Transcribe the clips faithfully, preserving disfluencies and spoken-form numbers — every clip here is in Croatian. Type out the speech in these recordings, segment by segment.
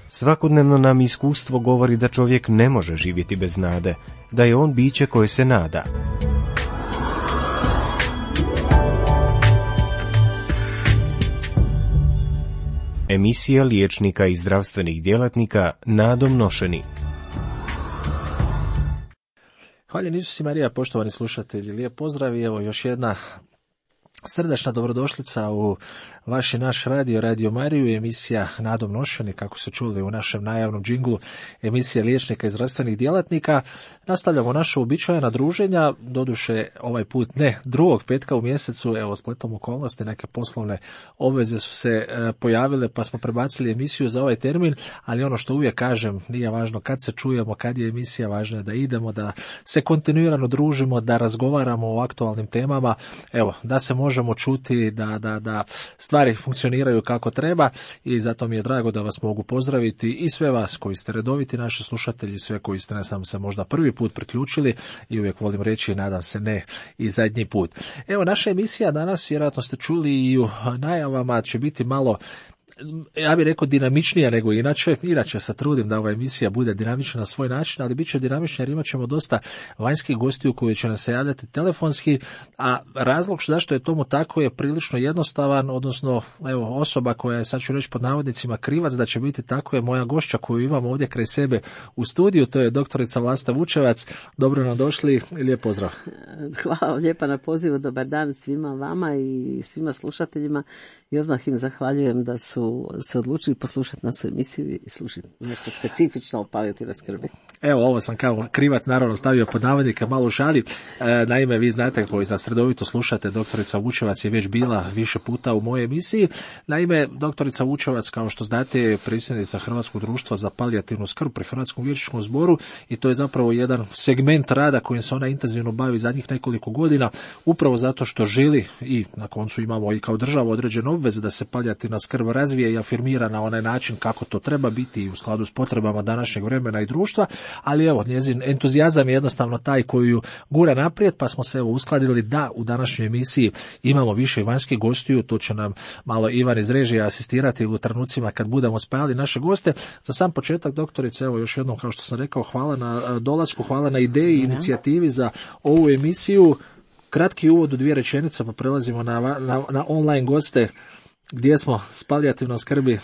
Svakodnevno nam iskustvo govori da čovjek ne može živjeti bez nade, da je on biće koje se nada. Emisija liječnika i zdravstvenih djelatnika Nadom Nošeni. Hvala Isus i Marija, poštovani slušatelji, lijep pozdrav i evo još jedna srdačna dobrodošlica u vaš i naš radio, Radio Mariju, emisija Nadom Nošeni, kako se čuli u našem najavnom džinglu, emisija liječnika i zdravstvenih djelatnika. Nastavljamo naša uobičajena druženja, doduše ovaj put ne drugog petka u mjesecu, evo spletom okolnosti, neke poslovne obveze su se e, pojavile pa smo prebacili emisiju za ovaj termin, ali ono što uvijek kažem, nije važno kad se čujemo, kad je emisija, važno je da idemo, da se kontinuirano družimo, da razgovaramo o aktualnim temama, evo, da se možemo čuti, da, da, da stvari funkcioniraju kako treba i zato mi je drago da vas mogu pozdraviti i sve vas koji ste redoviti naši slušatelji, sve koji ste ne znam se možda prvi put priključili i uvijek volim reći, nadam se ne i zadnji put. Evo, naša emisija danas, vjerojatno ste čuli i u najavama, će biti malo, ja bih rekao, dinamičnija nego inače. Inače se trudim da ova emisija bude dinamična na svoj način, ali bit će dinamična jer imat ćemo dosta vanjskih gostiju koji će nas se javljati telefonski, a razlog zašto je tomu tako je prilično jednostavan, odnosno evo, osoba koja je, sad ću reći pod navodnicima, krivac da će biti tako je moja gošća koju imam ovdje kraj sebe u studiju, to je doktorica Vlasta Vučevac. Dobro nam došli i lijep pozdrav. Hvala lijepa na pozivu, dobar dan svima vama i svima slušateljima i odmah im zahvaljujem da su se odlučili poslušati našu emisiju i slušati nešto specifično o palijativnoj skrbi. Evo, ovo sam kao krivac naravno stavio pod navodnike, malo u šali. E, naime, vi znate koji nas redovito slušate, doktorica Vučevac je već bila više puta u mojoj emisiji. Naime, doktorica Vučevac, kao što znate, je predsjednica Hrvatskog društva za palijativnu skrb pri Hrvatskom liječničkom zboru i to je zapravo jedan segment rada kojim se ona intenzivno bavi zadnjih nekoliko godina, upravo zato što želi i na koncu imamo i kao država određene obveze da se palijativna skrb razvije i afirmira na onaj način kako to treba biti i u skladu s potrebama današnjeg vremena i društva, ali evo, njezin entuzijazam je jednostavno taj koji ju gura naprijed, pa smo se evo uskladili da u današnjoj emisiji imamo više vanjskih gostiju, to će nam malo Ivan iz režije asistirati u trenucima kad budemo spajali naše goste. Za sam početak, doktorice, evo još jednom, kao što sam rekao, hvala na dolasku, hvala na ideji i inicijativi za ovu emisiju. Kratki uvod u dvije rečenice, pa prelazimo na, na, na online goste. Gdje smo s palijativnom skrbi?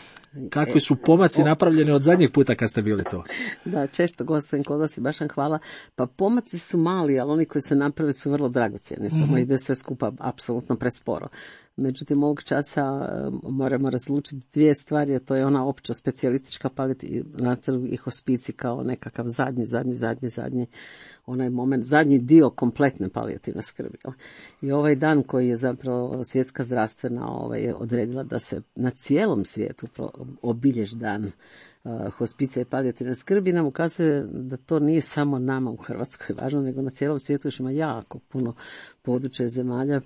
Kakvi su pomaci napravljeni od zadnjeg puta kad ste bili to? Da, često gostujem kod vas i baš vam hvala. Pa pomaci su mali, ali oni koji se naprave su vrlo dragocjeni. Samo mm-hmm. ide sve skupa apsolutno presporo. Međutim, ovog časa moramo razlučiti dvije stvari, a to je ona opća specijalistička palijativna i hospicij kao nekakav zadnji, zadnji, zadnji, zadnji onaj moment, zadnji dio kompletne palijativne skrbi. I ovaj dan koji je zapravo svjetska zdravstvena ovaj, odredila da se na cijelom svijetu obilježi dan uh, hospicija i palijativne skrbi, nam ukazuje da to nije samo nama u Hrvatskoj važno, nego na cijelom svijetu još ima jako puno područja zemalja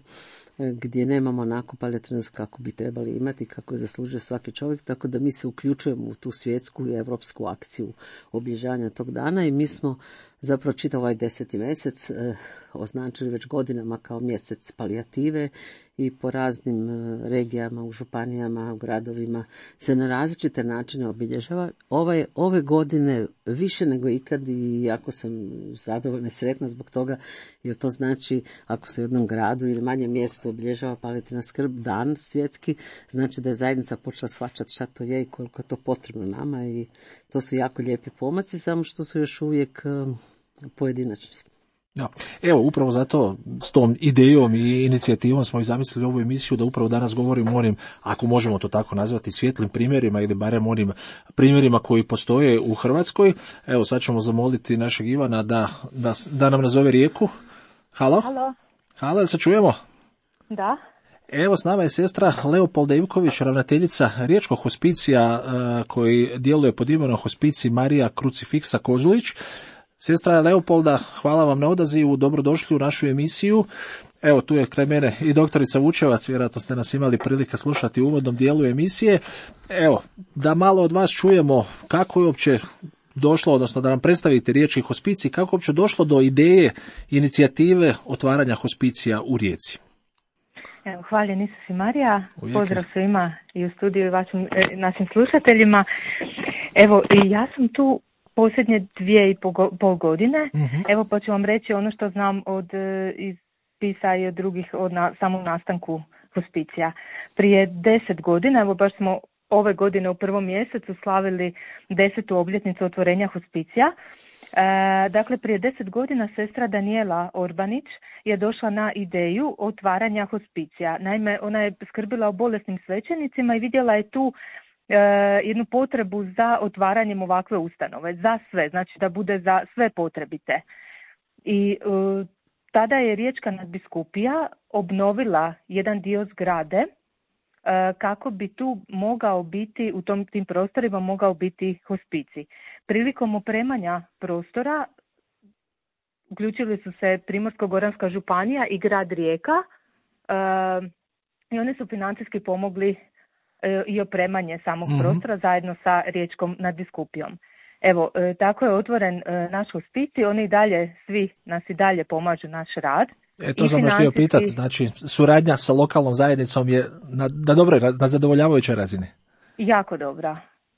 gdje nemamo onako palijativnu skrb kako bi trebali imati, kako je zaslužio svaki čovjek, tako da mi se uključujemo u tu svjetsku i europsku akciju obilježavanja tog dana i mi smo zapravo čitav ovaj deseti mjesec eh, označili već godinama kao mjesec palijative i po raznim eh, regijama, u županijama, u gradovima se na različite načine obilježava. Ove, ove godine više nego ikad i jako sam zadovoljna i sretna zbog toga, jer to znači ako se u jednom gradu ili manjem mjestu obilježava palijativna skrb dan svjetski, znači da je zajednica počela shvaćati šta to je i koliko je to potrebno nama i to su jako lijepi pomaci, samo što su još uvijek um, pojedinačni. Ja. Evo, upravo zato s tom idejom i inicijativom smo i zamislili ovu emisiju da upravo danas govorimo o onim, ako možemo to tako nazvati, svjetlim primjerima ili barem onim primjerima koji postoje u Hrvatskoj. Evo, sad ćemo zamoliti našeg Ivana da, da, da nam nazove Rijeku. Halo? Halo. Halo, jel se čujemo? Da. Evo, s nama je sestra Leopolda Ivković, ravnateljica Riječkog hospicija koji djeluje pod imenom Hospicij Marija Krucifiksa Kozulić. Sestra Leopolda, hvala vam na odazivu, dobrodošli u našu emisiju. Evo, tu je kraj mene i doktorica Vučevac, vjerojatno ste nas imali prilike slušati u uvodnom dijelu emisije. Evo, da malo od vas čujemo kako je uopće došlo, odnosno da nam predstavite Riječki hospicij, kako je uopće došlo do ideje, inicijative otvaranja hospicija u Rijeci. Evo, hvaljen Isus i Marija, pozdrav svima i u studiju i vašim, našim slušateljima. Evo, i ja sam tu posljednje dvije i pol, pol godine. Mhm. Evo, pa ću vam reći ono što znam od e, iz spisa i od drugih od na, samom nastanku hospicija. Prije deset godina, evo baš smo ove godine u prvom mjesecu slavili desetu obljetnicu otvorenja hospicija. E, dakle, prije deset godina sestra Danijela Orbanić je došla na ideju otvaranja hospicija. Naime, ona je skrbila o bolesnim svećenicima i vidjela je tu e, jednu potrebu za otvaranjem ovakve ustanove, za sve, znači da bude za sve potrebite. I e, tada je Riječka nadbiskupija obnovila jedan dio zgrade kako bi tu mogao biti, u tom, tim prostorima mogao biti hospicij. Prilikom opremanja prostora uključili su se Primorsko-goranska županija i grad Rijeka uh, i oni su financijski pomogli uh, i opremanje samog mm-hmm. prostora zajedno sa Riječkom nadbiskupijom. Evo, uh, tako je otvoren uh, naš hospicij, oni i dalje, svi nas i dalje pomažu naš rad. E, to sam još htio pitati, znači suradnja sa lokalnom zajednicom je na, na dobroj, na zadovoljavajućoj razini. Jako dobra,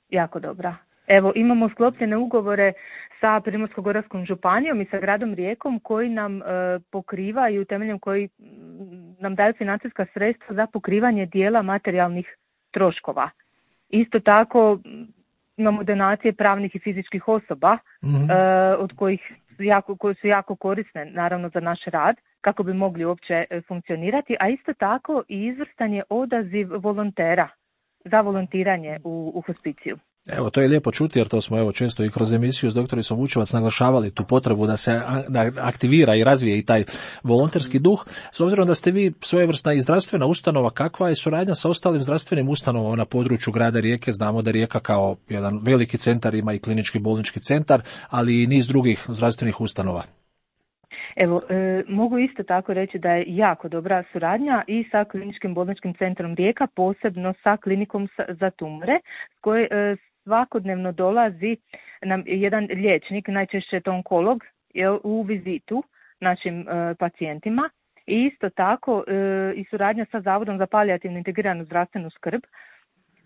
jako dobra. Evo, imamo sklopljene ugovore sa Primorsko-goranskom županijom i sa gradom Rijekom koji nam e, pokrivaju, temeljem koji nam daju financijska sredstva za pokrivanje dijela materijalnih troškova. Isto tako imamo donacije pravnih i fizičkih osoba mm-hmm. e, od kojih jako, koje su jako korisne naravno za naš rad, kako bi mogli uopće funkcionirati, a isto tako i izvrstan je odaziv volontera za volontiranje u, u hospiciju. Evo, to je lijepo čuti, jer to smo evo često i kroz emisiju s doktoricom Vučevac naglašavali tu potrebu da se da aktivira i razvije i taj volonterski duh. S obzirom da ste vi svojevrsna i zdravstvena ustanova, kakva je suradnja sa ostalim zdravstvenim ustanovama na području grada Rijeke? Znamo da Rijeka kao jedan veliki centar ima i klinički bolnički centar, ali i niz drugih zdravstvenih ustanova. Evo, e, mogu isto tako reći da je jako dobra suradnja i sa kliničkim bolničkim centrom Rijeka, posebno sa klinikom za tumore, s koje e, svakodnevno dolazi nam jedan liječnik, najčešće to onkolog, je u vizitu našim e, pacijentima. I isto tako e, i suradnja sa Zavodom za palijativnu integriranu zdravstvenu skrb,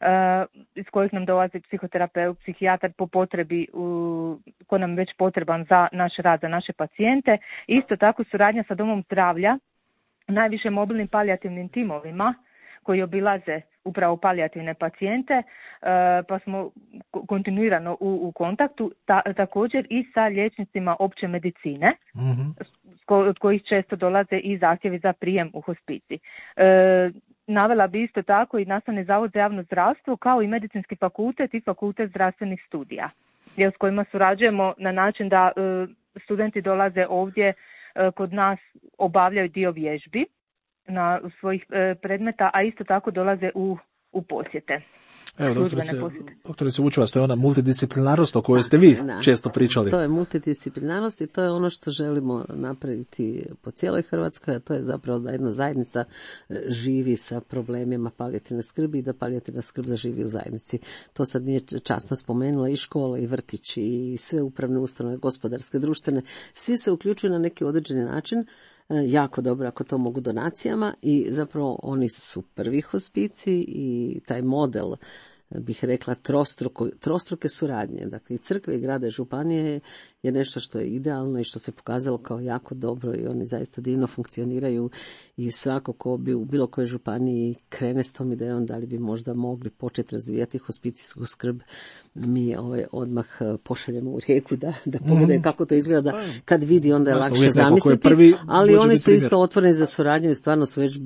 Uh, iz kojih nam dolazi psihoterapeut, psihijatar po potrebi, uh, ko nam već potreban za naš rad, za naše pacijente. Isto tako suradnja sa domom zdravlja, najviše mobilnim palijativnim timovima koji obilaze upravo palijativne pacijente, uh, pa smo kontinuirano u, u kontaktu, ta, također i sa liječnicima opće medicine, mm-hmm. od kojih često dolaze i zahtjevi za prijem u hospicij. Uh, Navela bi isto tako i Nastavni zavod za javno zdravstvo, kao i medicinski fakultet i fakultet zdravstvenih studija, s kojima surađujemo na način da e, studenti dolaze ovdje e, kod nas, obavljaju dio vježbi na svojih e, predmeta, a isto tako dolaze u, u posjete. Evo, doktorice, doktorice Vučevac, to je ona multidisciplinarnost o kojoj ste vi da, često pričali. To je multidisciplinarnost i to je ono što želimo napraviti po cijeloj Hrvatskoj, a to je zapravo da jedna zajednica živi sa problemima palijativne skrbi i da palijativna skrb zaživi u zajednici. To sad nije časno spomenula, i škole, i vrtići, i sve upravne ustanove, gospodarske, društvene, svi se uključuju na neki određeni način, jako dobro ako to mogu donacijama, i zapravo oni su prvi hospicij i taj model, bih rekla, trostruko, trostruke suradnje, dakle i crkve i grada i županije je nešto što je idealno i što se pokazalo kao jako dobro i oni zaista divno funkcioniraju i svako ko bi u bilo kojoj županiji krene s tom idejom da li bi možda mogli početi razvijati hospicijsku skrb, mi ovaj odmah pošaljemo u Rijeku da, da pogledaju mm. kako to izgleda, kad vidi onda je Jasno, lakše zamisliti, prvi, ali oni su isto otvoreni za suradnju i stvarno su već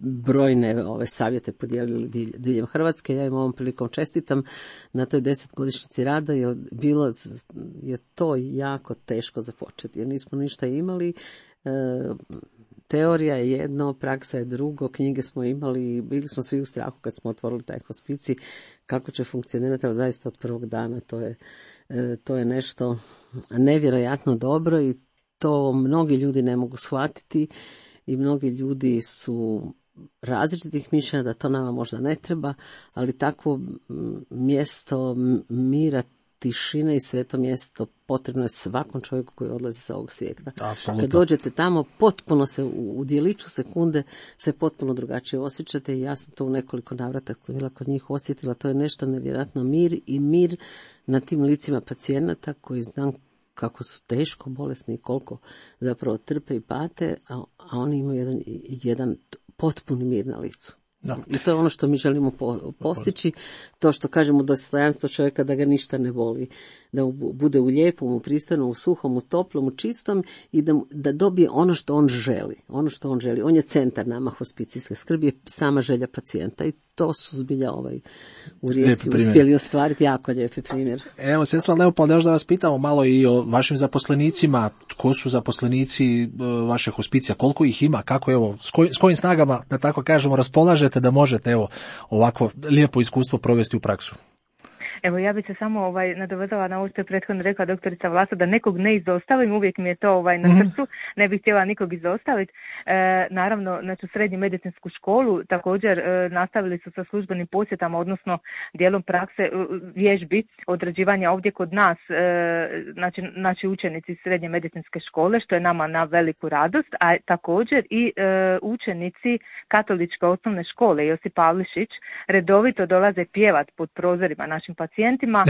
brojne ove savjete podijelili diljem Hrvatske. Ja im ovom prilikom čestitam na toj desetgodišnjici rada, jer bilo je to jako teško započeti, jer nismo ništa imali. E, teorija je jedno, praksa je drugo, knjige smo imali, bili smo svi u strahu kad smo otvorili taj hospicij, kako će funkcionirati, ali zaista od prvog dana to je, e, to je nešto nevjerojatno dobro i to mnogi ljudi ne mogu shvatiti i mnogi ljudi su različitih mišljenja da to nama možda ne treba, ali takvo mjesto mira, tišina i sveto mjesto potrebno je svakom čovjeku koji odlazi sa ovog svijeta. Apsolutno. Kad dođete tamo, potpuno se u, u dijeliću sekunde se potpuno drugačije osjećate i ja sam to u nekoliko navrata bila kod njih osjetila. To je nešto nevjerojatno, mir i mir na tim licima pacijenata koji znam kako su teško bolesni i koliko zapravo trpe i pate, a, a oni imaju jedan, jedan potpuni mir na licu. Da. I to je ono što mi želimo po, postići, to što kažemo dostojanstvo čovjeka da ga ništa ne boli, da bude u lijepom, u pristojnom, u suhom, u toplom, u čistom i da, da dobije ono što on želi, ono što on želi. On je centar nama hospicijske skrbi, je sama želja pacijenta i to su zbilja ovaj u Rijeci uspjeli ostvariti, jako lijepi primjer. Evo, sestra Leopold, još da vas pitamo malo i o vašim zaposlenicima, tko su zaposlenici vaše hospicija, koliko ih ima, kako evo, s, koj, s kojim snagama, da tako kažemo, raspolažete da možete evo ovako lijepo iskustvo provesti u praksu. Evo, ja bih se samo ovaj, nadovezala na ovo što je prethodno rekla doktorica Vlasta, da nekog ne izostavim, uvijek mi je to ovaj, na srcu, ne bih htjela nikog izostaviti. E, naravno, znači, u srednju medicinsku školu također e, nastavili su sa službenim posjetama, odnosno dijelom prakse e, vježbi, odrađivanja ovdje kod nas, e, znači, znači učenici srednje medicinske škole, što je nama na veliku radost, a također i e, učenici katoličke osnovne škole Josip Pavlišić redovito dolaze pjevat pod prozorima našim pacijentima. pacijentima,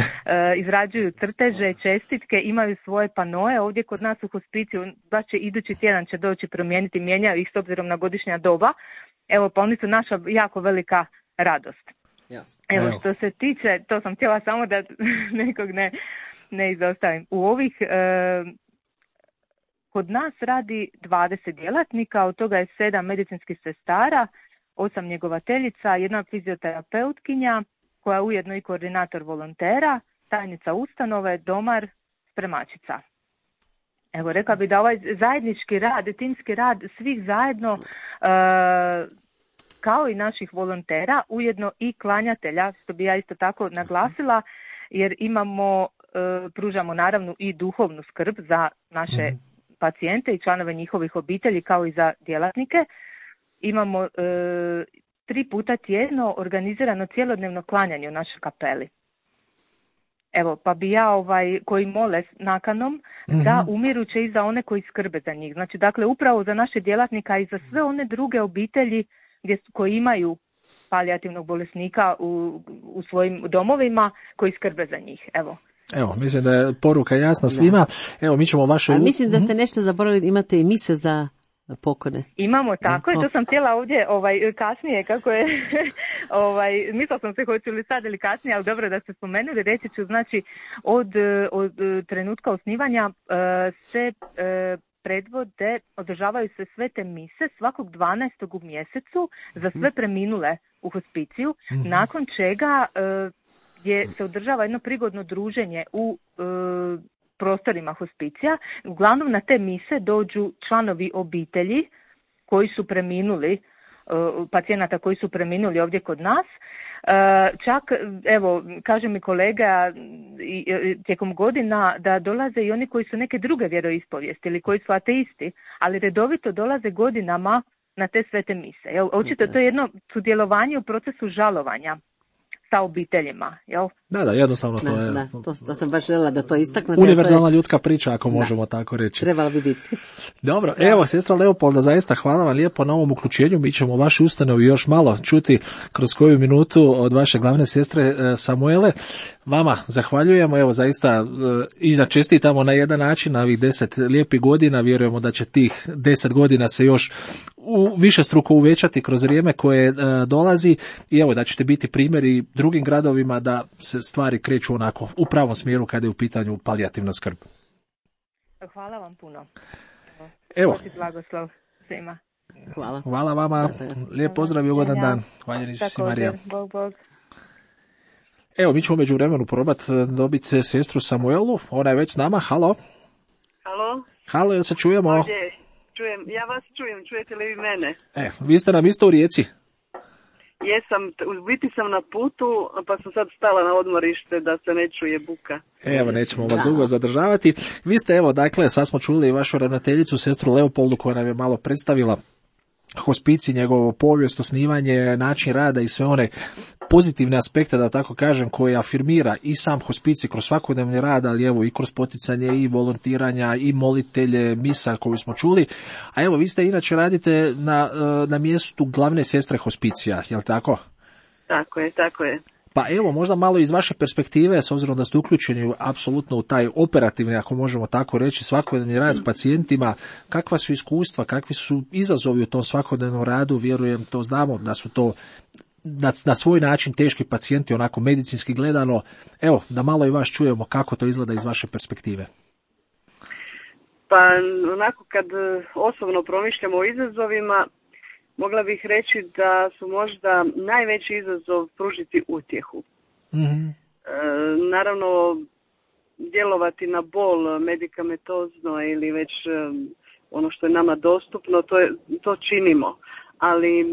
izrađuju crteže, čestitke, imaju svoje panoje ovdje kod nas u hospiciju, baš će idući tjedan će doći promijeniti, mijenjaju ih s obzirom na godišnja doba. Evo, pa oni su naša jako velika radost. Yes. Evo, što se tiče, to sam htjela samo da nekog ne, ne izostavim. U ovih, e, kod nas radi dvadeset djelatnika, od toga je sedam medicinskih sestara, osam njegovateljica, jedna fizioterapeutkinja, koja je ujedno i koordinator volontera, tajnica ustanove, domar, spremačica. Evo, rekla bi da ovaj zajednički rad, timski rad svih zajedno, e, kao i naših volontera, ujedno i klanjatelja, što bi ja isto tako naglasila, jer imamo, e, pružamo naravno i duhovnu skrb za naše mm-hmm. pacijente i članove njihovih obitelji, kao i za djelatnike. Imamo e, tri puta tjedno organizirano cjelodnevno klanjanje u našoj kapeli. Evo, pa bi ja ovaj, koji mole s nakanom mm-hmm. da umiruće i za one koji skrbe za njih. Znači, dakle, upravo za naše djelatnika i za sve one druge obitelji gdje, koji imaju palijativnog bolesnika u, u svojim domovima, koji skrbe za njih. Evo. Evo, mislim da je poruka jasna svima. Evo, mi ćemo vaše... A mislim da ste nešto zaboravili, imate i mise za pokone. Imamo, tako je, to sam htjela ovdje ovaj, kasnije, kako je, ovaj, mislila sam se hoću li sad ili kasnije, ali dobro da ste spomenuli, reći ću, znači, od, od trenutka osnivanja se predvode, održavaju se sve te mise svakog dvanaestog u mjesecu za sve preminule u hospiciju, nakon čega je, se održava jedno prigodno druženje u prostorima hospicija. Uglavnom na te mise dođu članovi obitelji koji su preminuli, pacijenata koji su preminuli ovdje kod nas. Čak, evo, kaže mi kolega tijekom godina da dolaze i oni koji su neke druge vjeroispovijesti ili koji su ateisti, ali redovito dolaze godinama na te svete mise. Jel? Očito to je jedno sudjelovanje u procesu žalovanja sa obiteljima, jel? Da, da, jednostavno to da, je... Da, to, to sam baš željela da to istaknete. Univerzalna je... ljudska priča, ako da. možemo tako reći. Trebala bi biti. Dobro, da. Evo, sestra Leopolda, zaista hvala vam lijepo na ovom uključenju. Mi ćemo vašu ustanovu još malo čuti kroz koju minutu od vaše glavne sestre Samuele. Vama zahvaljujemo, evo, zaista i da čestitamo na jedan način na ovih deset lijepih godina. Vjerujemo da će tih deset godina se još u više struko uvećati kroz vrijeme koje e, dolazi i evo da ćete biti primjeri drugim gradovima da se stvari kreću onako u pravom smjeru kada je u pitanju palijativna skrb. Hvala vam puno. Evo. Blagoslov svima. Hvala. Hvala vama. Lijep pozdrav i ugodan dan. Hvala Isus i Marija. Bog, Bog. Evo, mi ćemo među vremenu probati dobiti sestru Samuelu. Ona je već s nama. Halo. Halo. Halo, jel se čujemo? Ovdje. Čujem, ja vas čujem, čujete li vi mene? E, vi ste nam isto u Rijeci? Jesam, u biti sam na putu, pa sam sad stala na odmorište da se ne čuje buka. Evo, nećemo vas dugo zadržavati. Vi ste, evo, dakle, sad smo čuli vašu ravnateljicu, sestru Leopoldu, koja nam je malo predstavila hospicij, njegovo povijest, osnivanje, način rada i sve one pozitivne aspekte, da tako kažem, koje afirmira i sam hospicij kroz svakodnevni rad, ali evo i kroz poticanje i volontiranja i molitelje, misa koju smo čuli. A evo, vi ste inače radite na, na mjestu glavne sestre hospicija, je li tako? Tako je, tako je. Pa evo, možda malo iz vaše perspektive, s obzirom da ste uključeni apsolutno u taj operativni, ako možemo tako reći, svakodnevni rad s pacijentima, kakva su iskustva, kakvi su izazovi u tom svakodnevnom radu, vjerujem, to znamo da su to na, na svoj način teški pacijenti, onako medicinski gledano. Evo, da malo i vas čujemo kako to izgleda iz vaše perspektive. Pa onako kad osobno promišljamo o izazovima, mogla bih reći da su možda najveći izazov pružiti utjehu. Mm-hmm. E, naravno, djelovati na bol medikamentozno ili već e, ono što je nama dostupno, to, je, to činimo. Ali e,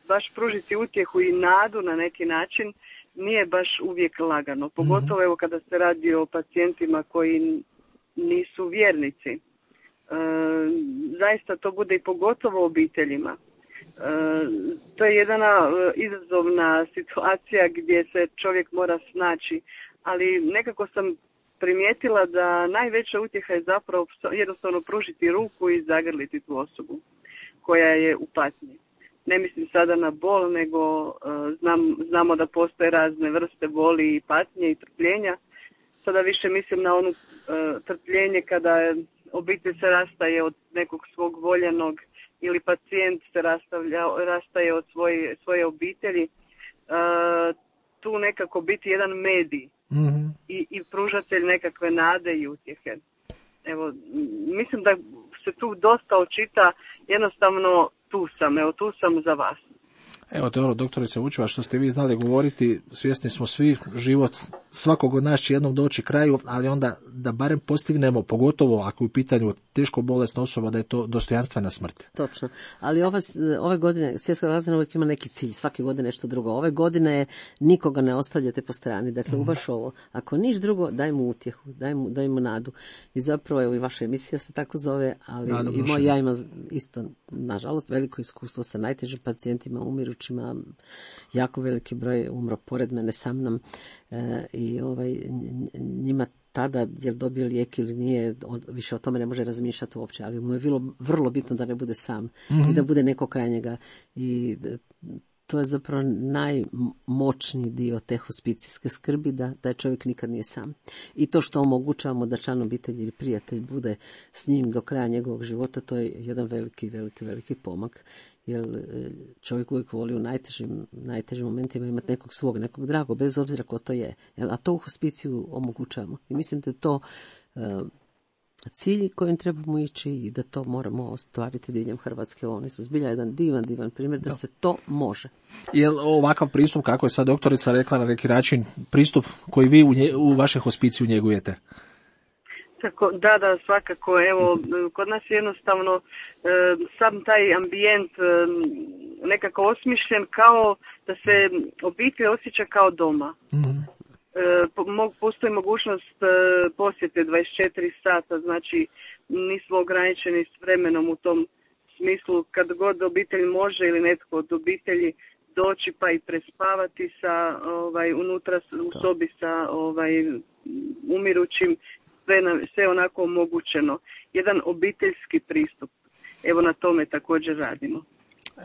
baš pružiti utjehu i nadu na neki način nije baš uvijek lagano. Pogotovo mm-hmm. evo kada se radi o pacijentima koji nisu vjernici. E, zaista to bude i pogotovo obiteljima. E, to je jedna e, izazovna situacija gdje se čovjek mora snaći, ali nekako sam primijetila da najveća utjeha je zapravo jednostavno pružiti ruku i zagrliti tu osobu koja je u patnji. Ne mislim sada na bol, nego e, znam, znamo da postoje razne vrste boli i patnje i trpljenja. Sada više mislim na onu e, trpljenje kada obitelj se rastaje od nekog svog voljenog ili pacijent se rastavlja, rastaje od svoje, svoje obitelji. E, tu nekako biti jedan medij mm-hmm. i, i pružatelj nekakve nade i utjehe. Evo, mislim da se tu dosta očita, jednostavno tu sam, evo tu sam za vas. Evo te ono, doktorice Vučeva, što ste vi znali govoriti, svjesni smo svi, život svakog od nas će jednom doći kraju, ali onda da barem postignemo, pogotovo ako je u pitanju teško bolesna osoba, da je to dostojanstvena smrt. Točno, ali ove, ove godine Svjetska zdravstvena uvijek ima neki cilj, svake godine nešto drugo. Ove godine je nikoga ne ostavljate po strani, dakle mm. baš ovo. Ako niš drugo, daj mu utjehu, daj mu, daj mu nadu. I zapravo, evo i vaša emisija se tako zove, ali Nadam i moj, ja imam isto, nažalost, veliko iskustvo sa najtežim pacijentima, umiru jako veliki broj umro pored mene sa mnom e, i ovaj, njima tada je li dobio lijek ili nije, on više o tome ne može razmišljati uopće, ali mu je bilo vrlo bitno da ne bude sam mm-hmm. i da bude neko kraj njega i to je zapravo najmoćniji dio te hospicijske skrbi, da taj čovjek nikad nije sam. I to što omogućavamo da član obitelji ili prijatelj bude s njim do kraja njegovog života, to je jedan veliki, veliki, veliki pomak. Jer čovjek uvijek voli u najtežim, najtežim momentima imati nekog svog, nekog dragog, bez obzira ko to je. A to u hospiciju omogućavamo. I mislim da je to uh, cilj kojim trebamo ići i da to moramo ostvariti diljem Hrvatske. Oni su zbilja jedan divan, divan primjer da, da se to može. Je li ovakav pristup, kako je sad doktorica rekla na neki način, pristup koji vi u, nje, u vašem hospiciju njegujete? Tako, da, da, svakako. Evo, kod nas je jednostavno e, sam taj ambijent e, nekako osmišljen kao da se obitelj osjeća kao doma. Mm-hmm. E, postoji mogućnost e, posjete dvadeset četiri sata, znači nismo ograničeni s vremenom u tom smislu. Kad god obitelj može ili netko od obitelji doći pa i prespavati sa, ovaj, unutra u sobi sa ovaj, umirućim, Sve, sve onako omogućeno. Jedan obiteljski pristup. Evo na tome također radimo.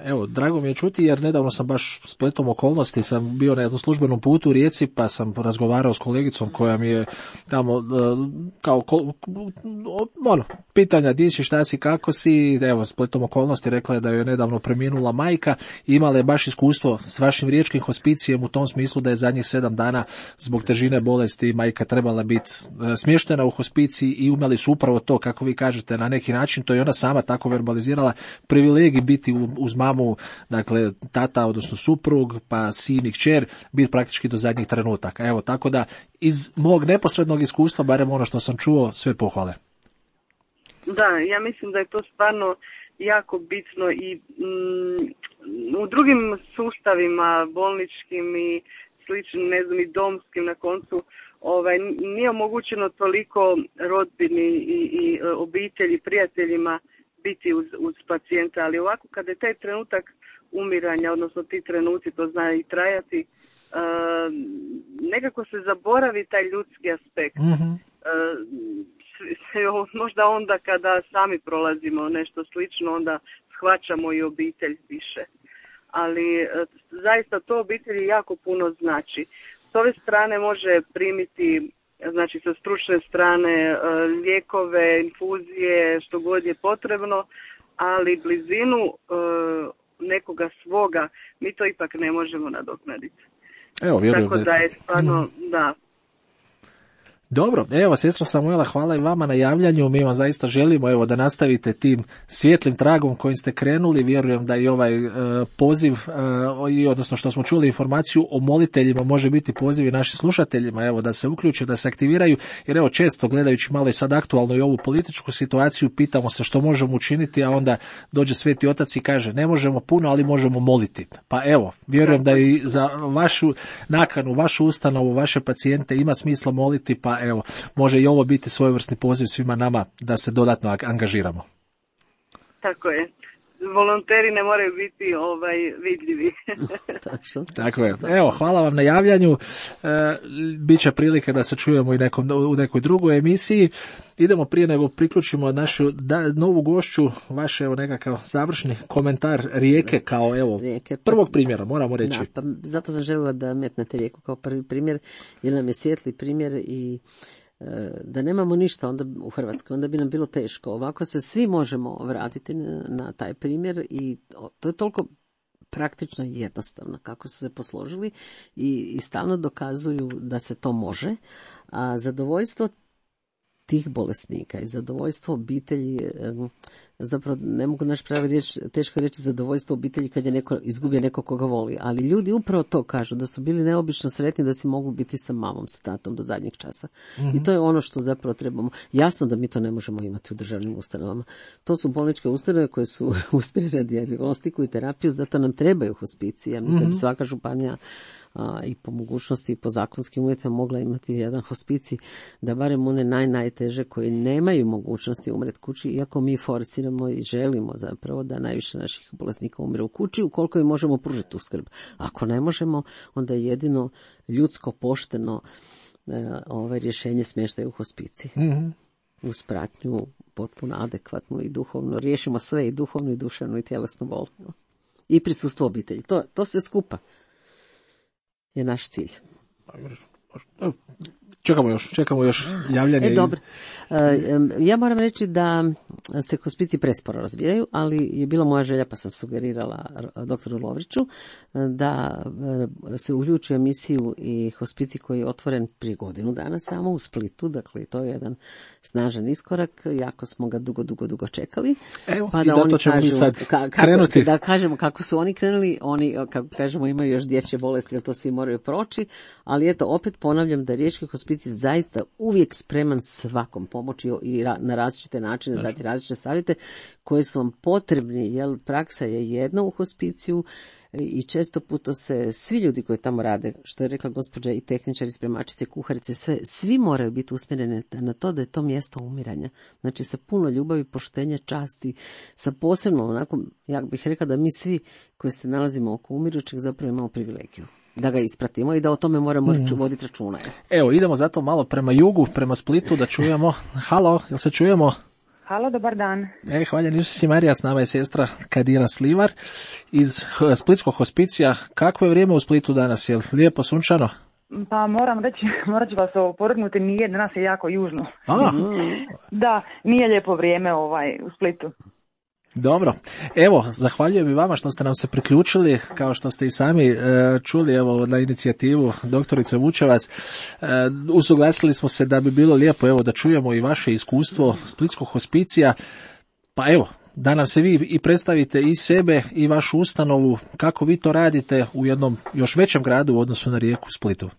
Evo, drago mi je čuti, jer nedavno sam baš spletom okolnosti, sam bio na jednom službenom putu u Rijeci, pa sam razgovarao s kolegicom koja mi je tamo kao ono, pitanja di si, šta si, kako si, evo, spletom okolnosti rekla je da je nedavno preminula majka i imala je baš iskustvo s vašim riječkim hospicijem u tom smislu da je zadnjih sedam dana zbog težine bolesti majka trebala biti smještena u hospiciji i imali su upravo to, kako vi kažete, na neki način, to je ona sama tako verbalizirala, privilegij biti uz mamu, dakle tata, odnosno suprug, pa sin i kćer, biti praktički do zadnjih trenutaka. Evo, tako da iz mog neposrednog iskustva, barem ono što sam čuo, sve pohvale. Da, ja mislim da je to stvarno jako bitno i mm, u drugim sustavima, bolničkim i sličnim, ne znam, i domskim na koncu, ovaj, nije omogućeno toliko rodbini i, i obitelji, prijateljima biti uz, uz pacijenta, ali ovako kada je taj trenutak umiranja, odnosno ti trenuci, to zna i trajati, uh, nekako se zaboravi taj ljudski aspekt. Mm-hmm. Uh, možda onda kada sami prolazimo nešto slično, onda shvaćamo i obitelj više. Ali uh, zaista to obitelji jako puno znači. S ove strane može primiti, znači sa stručne strane, uh, lijekove, infuzije, što god je potrebno, ali blizinu uh, nekoga svoga mi to ipak ne možemo nadoknaditi. Evo, vjerujem Tako da je stvarno, mm. da. Dobro, evo, sestra Samuela, hvala i vama na javljanju. Mi vam zaista želimo, evo, da nastavite tim svijetlim tragom kojim ste krenuli. Vjerujem da i ovaj e, poziv, e, i odnosno što smo čuli informaciju o moliteljima, može biti poziv i našim slušateljima, evo, da se uključe, da se aktiviraju, jer evo, često gledajući malo i sad aktualno i ovu političku situaciju, pitamo se što možemo učiniti, a onda dođe Sveti Otac i kaže, ne možemo puno, ali možemo moliti. Pa evo, vjerujem da i za vašu nakanu, vašu ustanovu, vaše pacijente ima smisla moliti, pa evo, može i ovo biti svojevrsni poziv svima nama da se dodatno angažiramo. Tako je. Volonteri ne moraju biti ovaj vidljivi. Tako je. Evo, hvala vam na javljanju. E, Biće prilike da se čujemo i nekom, u nekoj drugoj emisiji. Idemo prije nego priključimo našu da, novu gošću, vaš evo nekakav završni komentar Rijeke kao evo Rijeke, pa, prvog primjera, moramo reći. Da, pa zato sam željela da metnete Rijeku kao prvi primjer, jer nam je svijetli primjer i da nemamo ništa onda u Hrvatskoj, onda bi nam bilo teško. Ovako se svi možemo vratiti na, na taj primjer i to je toliko praktično i jednostavno kako su se posložili i, i stalno dokazuju da se to može. A zadovoljstvo tih bolesnika i zadovoljstvo obitelji, zapravo ne mogu naš pravi riječ, teško reći zadovoljstvo obitelji kad je neko izgubio neko koga voli, ali ljudi upravo to kažu, da su bili neobično sretni da si mogu biti sa mamom, sa tatom do zadnjeg časa. Mm-hmm. I to je ono što zapravo trebamo. Jasno da mi to ne možemo imati u državnim ustanovama. To su bolničke ustanove koje su usmjerene na dijagnostiku i terapiju, zato nam trebaju hospicije. Mm-hmm. Da bi svaka županija a, i po mogućnosti i po zakonskim uvjetima mogla imati jedan hospicij, da barem one naj, najteže koji nemaju mogućnosti umret kući, iako mi forsiramo i želimo zapravo da najviše naših bolesnika umre u kući, ukoliko im možemo pružiti tu skrb. Ako ne možemo, onda je jedino ljudsko pošteno e, ovaj rješenje smještaja u hospiciji. Mm-hmm. Uz pratnju potpuno adekvatnu i duhovno. Riješimo sve, i duhovnu, i duševnu, i tjelesnu bol. I prisustvo obitelji. To, to sve skupa je naš cilj. Čekamo još, čekamo još javljanje. E, dobro. Ja moram reći da se hospiciji presporo razvijaju, ali je bila moja želja, pa sam sugerirala doktoru Lovriću, da se uključi u emisiju i hospicij koji je otvoren prije godinu dana samo u Splitu, dakle to je jedan snažan iskorak, jako smo ga dugo, dugo, dugo čekali. Evo, pa da i zato ćemo mi sad ka, kako, krenuti. Da kažemo kako su oni krenuli, oni, kako kažemo, imaju još dječje bolesti, jer to svi moraju proći, ali eto, opet ponavljam da riječki hospicij zaista uvijek spreman svakom pomoći i na različite načine znači. Dati različite savjete koje su vam potrebni, jer praksa je jedna u hospiciju i često puta se svi ljudi koji tamo rade, što je rekla gospođa, i tehničari, spremačice, kuharice, sve, svi moraju biti usmjereni na to da je to mjesto umiranja. Znači sa puno ljubavi, poštenja, časti, sa posebno onako, ja bih rekla da mi svi koji se nalazimo oko umirućeg zapravo imamo privilegiju da ga ispratimo i da o tome moramo hmm. voditi računa. Evo, idemo zato malo prema jugu, prema Splitu da čujemo. Halo, jel se čujemo? Halo, dobar dan. E, hvaljen Isus i Marija, s nama je sestra Kadira Slivar iz Splitskog hospicija. Kakvo je vrijeme u Splitu danas? Je li lijepo, sunčano? Pa moram reći, morat ću vas opovrgnuti, nije, danas je jako južno. A. Da, nije lijepo vrijeme ovaj u Splitu. Dobro, evo, zahvaljujem i vama što ste nam se priključili, kao što ste i sami e, čuli, evo, na inicijativu doktorice Vučevac. E, usuglasili smo se da bi bilo lijepo, evo, da čujemo i vaše iskustvo Splitskog hospicija, pa evo, da nam se vi i predstavite i sebe i vašu ustanovu, kako vi to radite u jednom još većem gradu u odnosu na Rijeku, Splitu.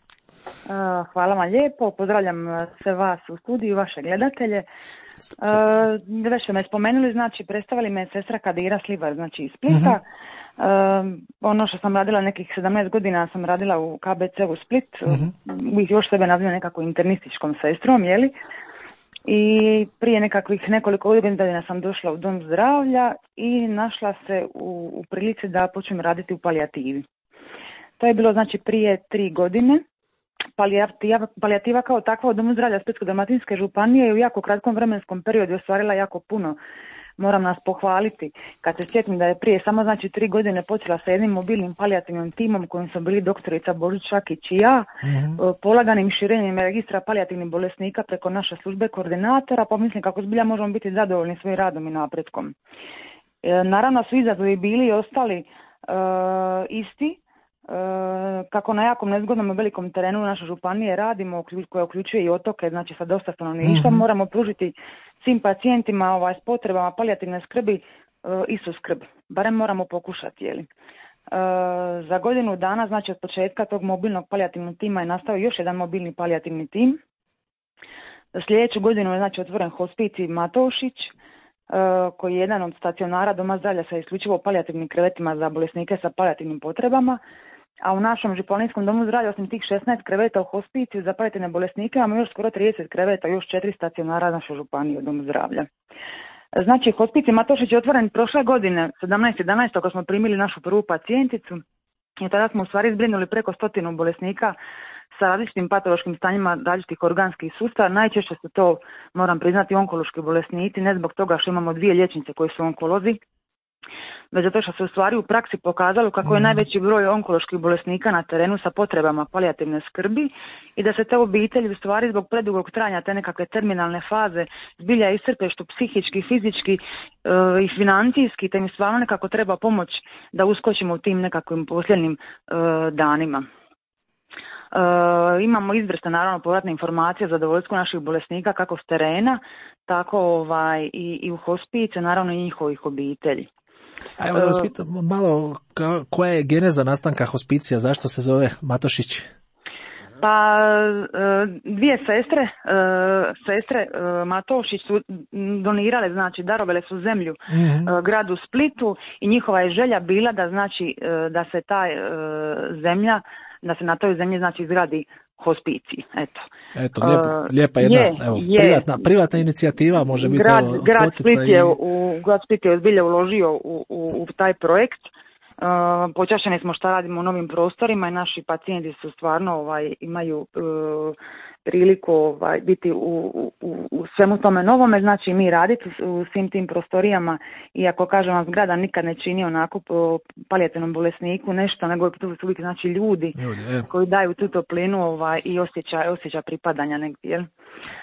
Hvala vam lijepo, pozdravljam sve vas u studiju, vaše gledatelje. Uh, već ste me spomenuli, znači predstavili me sestra Kadira Slivar, znači iz Splita. Uh-huh. Uh, ono što sam radila nekih sedamnaest godina sam radila u K B C u Split, uh-huh. uvijek još sebe nazivam nekako internističkom sestrom, jeli? I prije nekakvih nekoliko godina sam došla u dom zdravlja i našla se u, u prilici da počnem raditi u palijativi. To je bilo znači prije tri godine. Palijativa, palijativa kao takva u domu zdravlja Splitsko-dalmatinske županije je u jako kratkom vremenskom periodu ostvarila jako puno. Moram nas pohvaliti kad se sjetim da je prije samo znači tri godine počela sa jednim mobilnim palijativnim timom kojim su bili doktorica Božić Šakić i ja, mm-hmm. polaganim širenjem registra palijativnih bolesnika preko naše službe koordinatora, pa mislim kako zbilja možemo biti zadovoljni svojim radom i napretkom. E, naravno su izazovi bili i ostali e, isti. E, kako na jakom nezgodnom i velikom terenu naše županije radimo, koja uključuje i otoke, znači sa dosta stanovništva, mm-hmm. moramo pružiti svim pacijentima ovaj, s potrebama palijativne skrbi e, istu skrb. Barem moramo pokušati, jeli. E, za godinu dana, znači od početka tog mobilnog palijativnog tima je nastao još jedan mobilni palijativni tim. Sljedeću godinu je znači otvoren hospicij Matošić, e, koji je jedan od stacionara doma zdravlja sa isključivo palijativnim krevetima za bolesnike sa palijativnim potrebama. A u našem županijskom domu zdravlja osim tih šesnaest kreveta u hospiciju za palijativne bolesnike imamo još skoro trideset kreveta, još četiri stacionara naše županije u domu zdravlja. Znači, hospicij Matošić je otvoren prošle godine, sedamnaeste jedanaeste kad smo primili našu prvu pacijenticu i tada smo u stvari zbrinuli preko stotinu bolesnika sa različitim patološkim stanjima različitih organskih sustava. Najčešće su to, moram priznati, onkološki bolesnici, ne zbog toga što imamo dvije liječnice koji su onkolozi, već zato što se u stvari u praksi pokazalo kako je najveći broj onkoloških bolesnika na terenu sa potrebama palijativne skrbi i da se te obitelji u stvari zbog predugog trajanja te nekakve terminalne faze zbilja iscrpe što psihički, fizički e, i financijski, te im stvarno nekako treba pomoć da uskočimo u tim nekakvim posljednjim e, danima. E, imamo izvrsne naravno povratne informacije za zadovoljstvo naših bolesnika kako s terena, tako ovaj, i, i u hospice, naravno i njihovih obitelji. A evo da vas pitam malo, koja je geneza nastanka hospicija, zašto se zove Matošić? Pa dvije sestre, sestre Matošić su donirale, znači darovale su zemlju mm-hmm. gradu Splitu i njihova je želja bila da znači da se ta zemlja, da se na toj zemlji znači izgradi hospicij, eto. Eto, lijep, lijepa jedna je, evo, je, privatna, privatna inicijativa može biti grad, ovo, grad Split je, i... u, grad Split je zbilja uložio u, u, u taj projekt. Uh, počašćeni smo šta radimo u novim prostorima i naši pacijenti su stvarno ovaj, imaju uh, priliku ovaj, biti u, u, u svemu tome novome, znači mi raditi u, u svim tim prostorijama, iako kažem vam zgrada nikad ne čini onako po palijativnom bolesniku nešto, nego tu su uvijek znači ljudi, ljudi koji daju tu toplinu ovaj, i osjećaj, osjećaj pripadanja negdje, jel?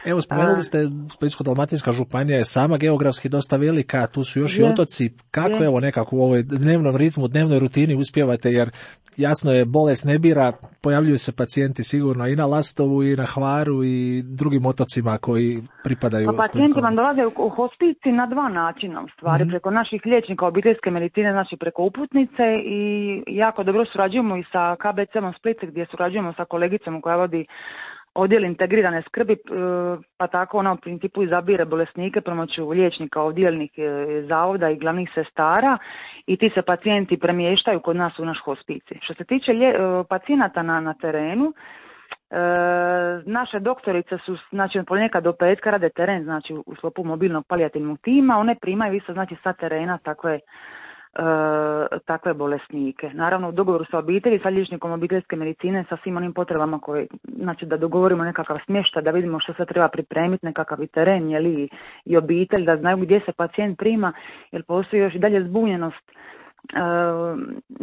Evo, spomenuli ste, Splitsko-dalmatinska županija je sama geografski dosta velika, tu su još je, i otoci. Kako je. Evo nekako u ovoj dnevnom ritmu, dnevnoj rutini uspijevate, jer jasno je, bolest ne bira, pojavljuju se pacijenti sigurno i na Lastovu i na Hvaru i drugim otocima koji pripadaju. Pa pacijenti vam dolaze u hospicij na dva načina u stvari, mm-hmm. preko naših liječnika obiteljske medicine, znači preko uputnice i jako dobro surađujemo i sa K B C-om Split gdje surađujemo sa kolegicom koja vodi odjel integrirane skrbi, pa tako ona u principu izabire bolesnike pomoću liječnika odjelnih zavoda i glavnih sestara i ti se pacijenti premještaju kod nas u naš hospicij. Što se tiče lje, pacijenata na, na terenu, e, naše doktorice su znači od ponedjeljka do petka rade teren, znači u sklopu mobilnog palijativnog tima, one primaju isto znači sa terena takve E, takve bolesnike. Naravno u dogovoru sa obitelji, sa liječnikom obiteljske medicine, sa svim onim potrebama koje, znači da dogovorimo nekakav smještaj, da vidimo što se treba pripremiti, nekakav i teren, jeli, i obitelj, da znaju gdje se pacijent prima, jer postoji još i dalje zbunjenost. E,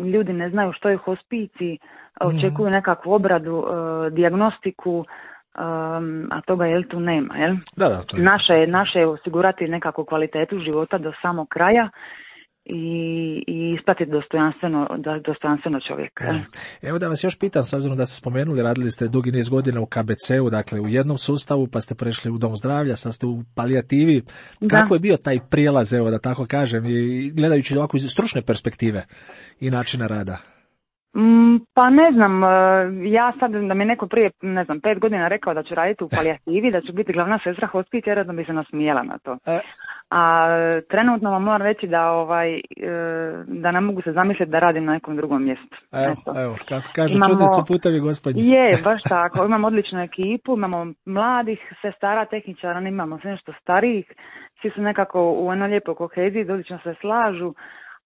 ljudi ne znaju što je hospicij, očekuju nekakvu obradu, e, dijagnostiku, Um, a toga jel tu nema, jel? Da, da, to je. Naše, naše je osigurati nekakvu kvalitetu života do samog kraja i, i ispratiti dostojanstveno, dostojanstveno čovjeka. Ja. Evo da vas još pitam, s obzirom da ste spomenuli, radili ste dugi niz godina u K B C-u, dakle u jednom sustavu, pa ste prešli u dom zdravlja, sad ste u palijativi. Kako da. je bio taj prijelaz, evo da tako kažem, i gledajući ovako iz stručne perspektive i načina rada? Mm, pa ne znam, ja sad da mi neko prije, ne znam, pet godina rekao da ću raditi u palijativi, da ću biti glavna sestra hospicija, vjerojatno bi se nasmijela na to. A trenutno vam moram reći da ovaj da ne mogu se zamisliti da radim na nekom drugom mjestu. Evo, Eto. evo kako kaže, Imamo, čudi se putevi gospodnji. Je, baš tako. Imamo odličnu ekipu, imamo mladih sestara, tehničara, imamo sve nešto starijih. Svi su nekako u jednoj lijepoj koheziji, odlično se slažu.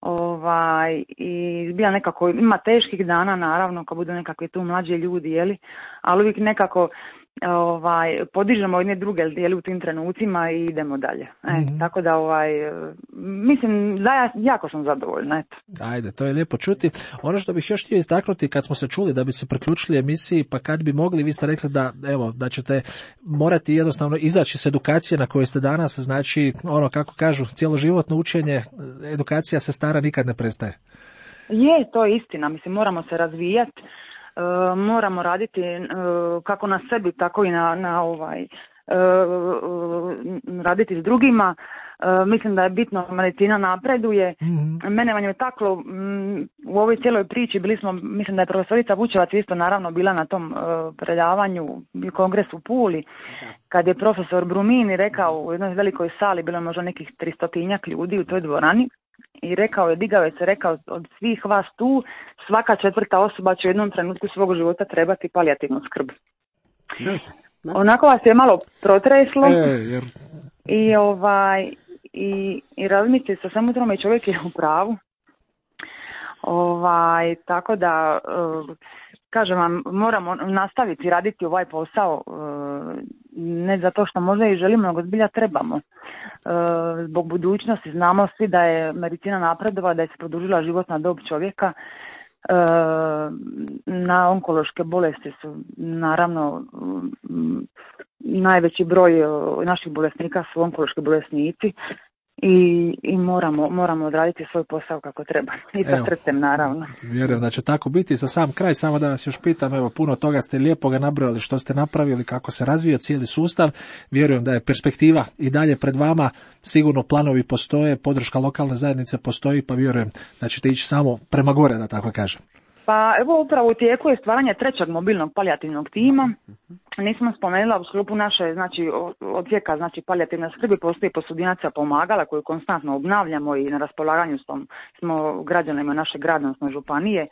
Ovaj, i bila nekako, ima teških dana naravno kad budu nekakvi tu mlađi ljudi, jeli, ali uvijek nekako ovaj, podižemo jedne druge jeli, u tim trenucima i idemo dalje. E, mm-hmm. Tako da ovaj, mislim da ja jako sam zadovoljna. Eto. Ajde, to je lijepo čuti. Ono što bih još htio istaknuti kad smo se čuli da bi se priključili emisiji, pa kad bi mogli, vi ste rekli da evo da ćete morati jednostavno izaći s edukacije na kojoj ste danas, znači ono kako kažu cjeloživotno učenje, edukacija sestara nikad ne prestaje. Je, to je istina, mislim moramo se razvijati. Uh, moramo raditi uh, kako na sebi, tako i na, na ovaj, uh, raditi s drugima. Uh, mislim da je bitno, medicina napreduje. Mm-hmm. Mene vam je taklo um, u ovoj cijeloj priči, bili smo, mislim da je profesorica Vučevac isto naravno bila na tom uh, predavanju i kongresu u Puli, kad je profesor Brumini rekao u jednoj velikoj sali, bilo je možda nekih tristotinjak ljudi u toj dvorani, i rekao je, digao je se, rekao od svih vas tu, svaka četvrta osoba će u jednom trenutku svog života trebati palijativnu skrb. Yes. Onako vas je malo protreslo e, jer... i ovaj i, i razmislite se samo tome, čovjek je u pravu. Ovaj, tako da uh, kažem vam, moramo nastaviti raditi ovaj posao, uh, ne zato što možda i želimo, nego zbilja trebamo. Uh, zbog budućnosti znamo svi da je medicina napredova, da je se produžila životna dob čovjeka. Uh, na onkološke bolesti su naravno um, najveći broj uh, naših bolesnika su onkološki bolesnici. I, i moramo, moramo odraditi svoj posao kako treba. I sa srcem, naravno. Vjerujem da će tako biti. Za sam kraj, samo da vas još pitam, evo, puno toga ste lijepo ga nabrojali što ste napravili, kako se razvija cijeli sustav. Vjerujem da je perspektiva i dalje pred vama. Sigurno planovi postoje, podrška lokalne zajednice postoji, pa vjerujem da ćete ići samo prema gore, da tako kažem. Pa evo upravo u tijeku je stvaranje trećeg mobilnog palijativnog tima. Nismo spomenula u sklopu naše znači, odsjeka znači, palijativne skrbi postoji posudinacija pomagala koju konstantno obnavljamo i na raspolaganju smo, smo građanima naše grada, odnosno županije.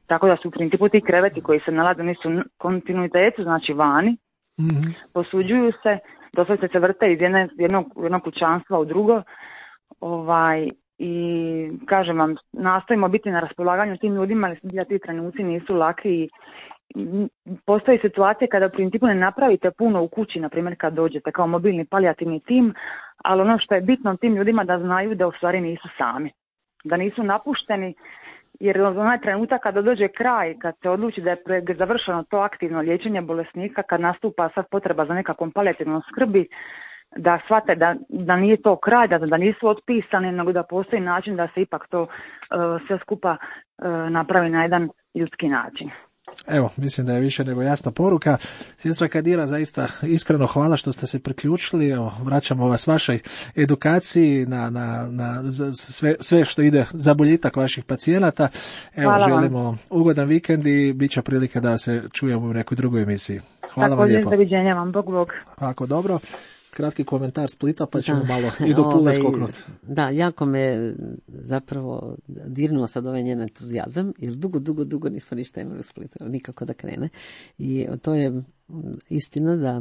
Tako da su u principu ti kreveti koji se nalaze nisu kontinuitetu, znači vani, mm-hmm. posuđuju se, doslovce se vrte iz jedne, jednog, jednog kućanstva u drugo. Ovaj, I kažem vam, nastojimo biti na raspolaganju tim ljudima, ali ti trenuci nisu laki i postoji situacije kada u principu ne napravite puno u kući, na primjer kad dođete kao mobilni palijativni tim, ali ono što je bitno tim ljudima da znaju da u stvari nisu sami, da nisu napušteni, jer onaj trenutak kada dođe kraj, kad se odluči da je završeno to aktivno liječenje bolesnika, kad nastupa sad potreba za nekakvom palijativnom skrbi, da shvate da, da nije to kraj, da, da nisu otpisani, nego da postoji način da se ipak to uh, sve skupa uh, napravi na jedan ljudski način. Evo, mislim da je više nego jasna poruka. Sestra Kadira, zaista iskreno hvala što ste se priključili. Evo, vraćamo vas vašoj edukaciji na, na, na sve, sve što ide za boljitak vaših pacijenata. Evo, hvala želimo vam ugodan vikend i bit će prilike da se čujemo u nekoj drugoj emisiji. Hvala tako vam lijepo. Tako, doviđenja vam, Bog Bog. Ako dobro. Kratki komentar Splita, pa ćemo da, malo i do Pule ovaj, skoknuti. Da, jako me zapravo dirnuo sad ovaj njen entuzijazam, jer dugo, dugo, dugo nismo ništa imali u Splitu, nikako da krene. I to je istina da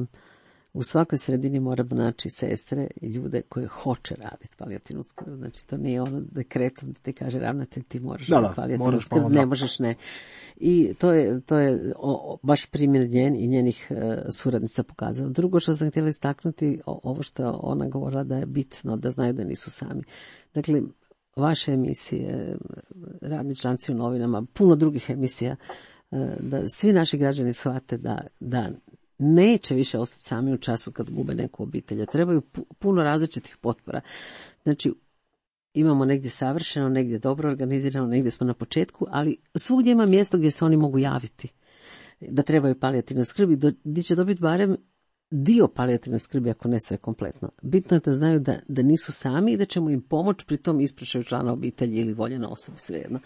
u svakoj sredini moramo naći sestre i ljude koje hoće raditi palijativnu skrb. Znači, to nije ono dekretom da ti kaže ravnatelj ti moraš da, raditi palijativnu skrb, ne možeš ne. I to je, to je o, baš primjer njen i njenih e, suradnica pokazalo. Drugo što sam htjela istaknuti, o, ovo što ona govorila da je bitno, da znaju da nisu sami. Dakle, vaše emisije, radni članci u novinama, puno drugih emisija, e, da svi naši građani shvate da, da neće više ostati sami u času kad gube neku obitelj. Trebaju puno različitih potpora. Znači, imamo negdje savršeno, negdje dobro organizirano, negdje smo na početku, ali svugdje ima mjesto gdje se oni mogu javiti da trebaju palijativne skrbi, gdje će dobiti barem dio palijativne skrbi, ako ne sve kompletno. Bitno je da znaju da, da nisu sami i da ćemo im pomoći pri tom ispraćaju člana obitelji ili voljena osoba, svejedno.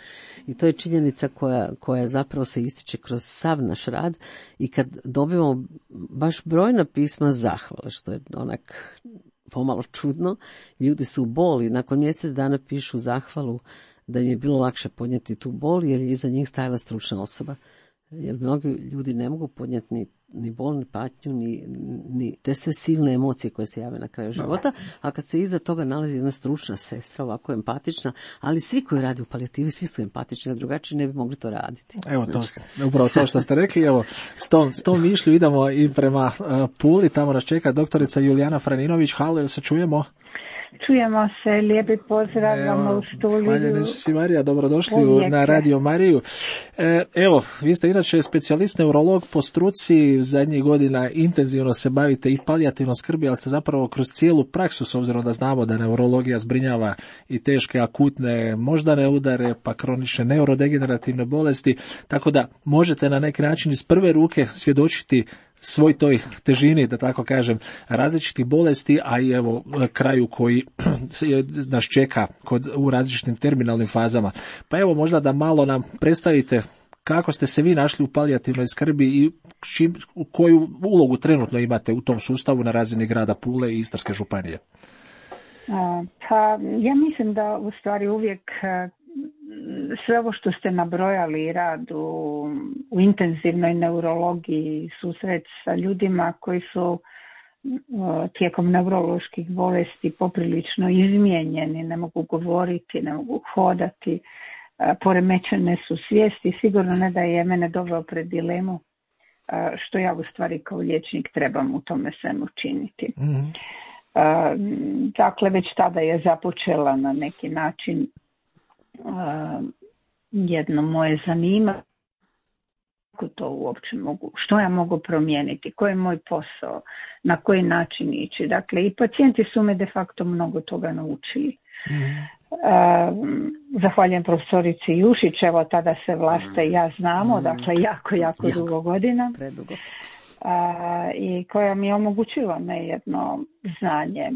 I to je činjenica koja, koja zapravo se ističe kroz sav naš rad i kad dobijemo baš brojna pisma zahvale, što je onak pomalo čudno. Ljudi su u boli, nakon mjesec dana pišu zahvalu da im je bilo lakše podnijeti tu bol, jer je iza njih stajala stručna osoba. Jer mnogi ljudi ne mogu podnijeti ni, ni bol, ni patnju, ni, ni te sve silne emocije koje se jave na kraju života, a kad se iza toga nalazi jedna stručna sestra, ovako empatična, ali svi koji rade u palijativi, svi su empatični, a drugačije ne bi mogli to raditi. Evo to, upravo to što ste rekli, evo, s tom, s tom mišlju idemo i prema uh, Puli, tamo nas čeka doktorica Julijana Franinović. Halo, jel se čujemo? Čujemo se, lijepi pozdrav vam u studiju. Hvala si Marija, dobrodošli Uvijek. na Radio Mariju. E, evo, vi ste inače specijalist neurolog po struci, zadnjih godina intenzivno se bavite i palijativnom skrbi, ali ste zapravo kroz cijelu praksu, s obzirom da znamo da neurologija zbrinjava i teške akutne moždane udare, pa kronične neurodegenerativne bolesti, tako da možete na neki način iz prve ruke svjedočiti svoj toj težini, da tako kažem, različitih bolesti, a i evo kraju koji nas čeka kod, u različitim terminalnim fazama. Pa evo možda da malo nam predstavite kako ste se vi našli u palijativnoj skrbi i čim, koju ulogu trenutno imate u tom sustavu na razini grada Pule i Istarske županije. Pa ja mislim da u stvari uvijek sve ovo što ste nabrojali, rad u, u intenzivnoj neurologiji, susret sa ljudima koji su tijekom neuroloških bolesti poprilično izmijenjeni, ne mogu govoriti, ne mogu hodati, poremećene su svijesti, sigurno ne da je mene doveo pred dilemu što ja u stvari kao liječnik trebam u tome svemu činiti. Mm-hmm. Dakle, već tada je započela na neki način jedno moje zanimanje, kako to uopće mogu, što ja mogu promijeniti, koji je moj posao, na koji način ići. Dakle, i pacijenti su me de facto mnogo toga naučili. Mm. Zahvaljujem profesorici Jušić, evo tada se Vlasta i ja znamo, mm. dakle jako, jako, jako dugo godina. Predugo. A, i koja mi je omogućila me jedno znanje.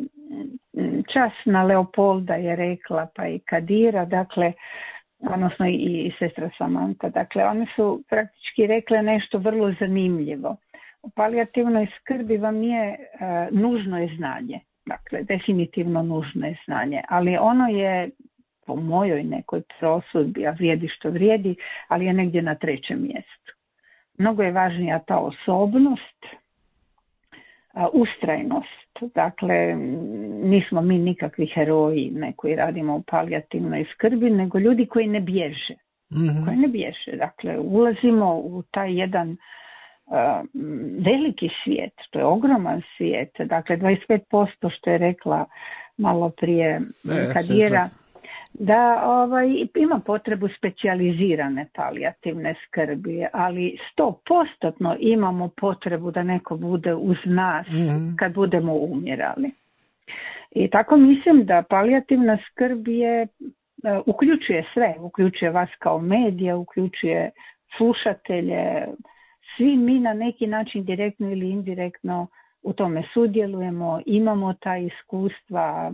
Časna Leopolda je rekla, pa i Kadira, dakle, odnosno i, i sestra Samanta, dakle, one su praktički rekle nešto vrlo zanimljivo. U palijativnoj skrbi vam nije uh, nužno je znanje, dakle, definitivno nužno je znanje, ali ono je po mojoj nekoj prosudbi, a vrijedi što vrijedi, ali je negdje na trećem mjestu. Mnogo je važnija ta osobnost, ustrajnost. Dakle, nismo mi nikakvi heroji, ne koji radimo u palijativnoj skrbi, nego ljudi koji ne bježe. Mm-hmm. Koji ne bježe. Dakle, ulazimo u taj jedan uh, veliki svijet, to je ogroman svijet. Dakle, dvadeset pet posto što je rekla malo prije e, Kadira, da ovaj, ima potrebu specijalizirane palijativne skrbi, ali sto postotno imamo potrebu da neko bude uz nas mm-hmm. kad budemo umirali. I tako mislim da palijativna skrb je, uh, uključuje sve, uključuje vas kao medija, uključuje slušatelje, svi mi na neki način direktno ili indirektno u tome sudjelujemo, imamo ta iskustva,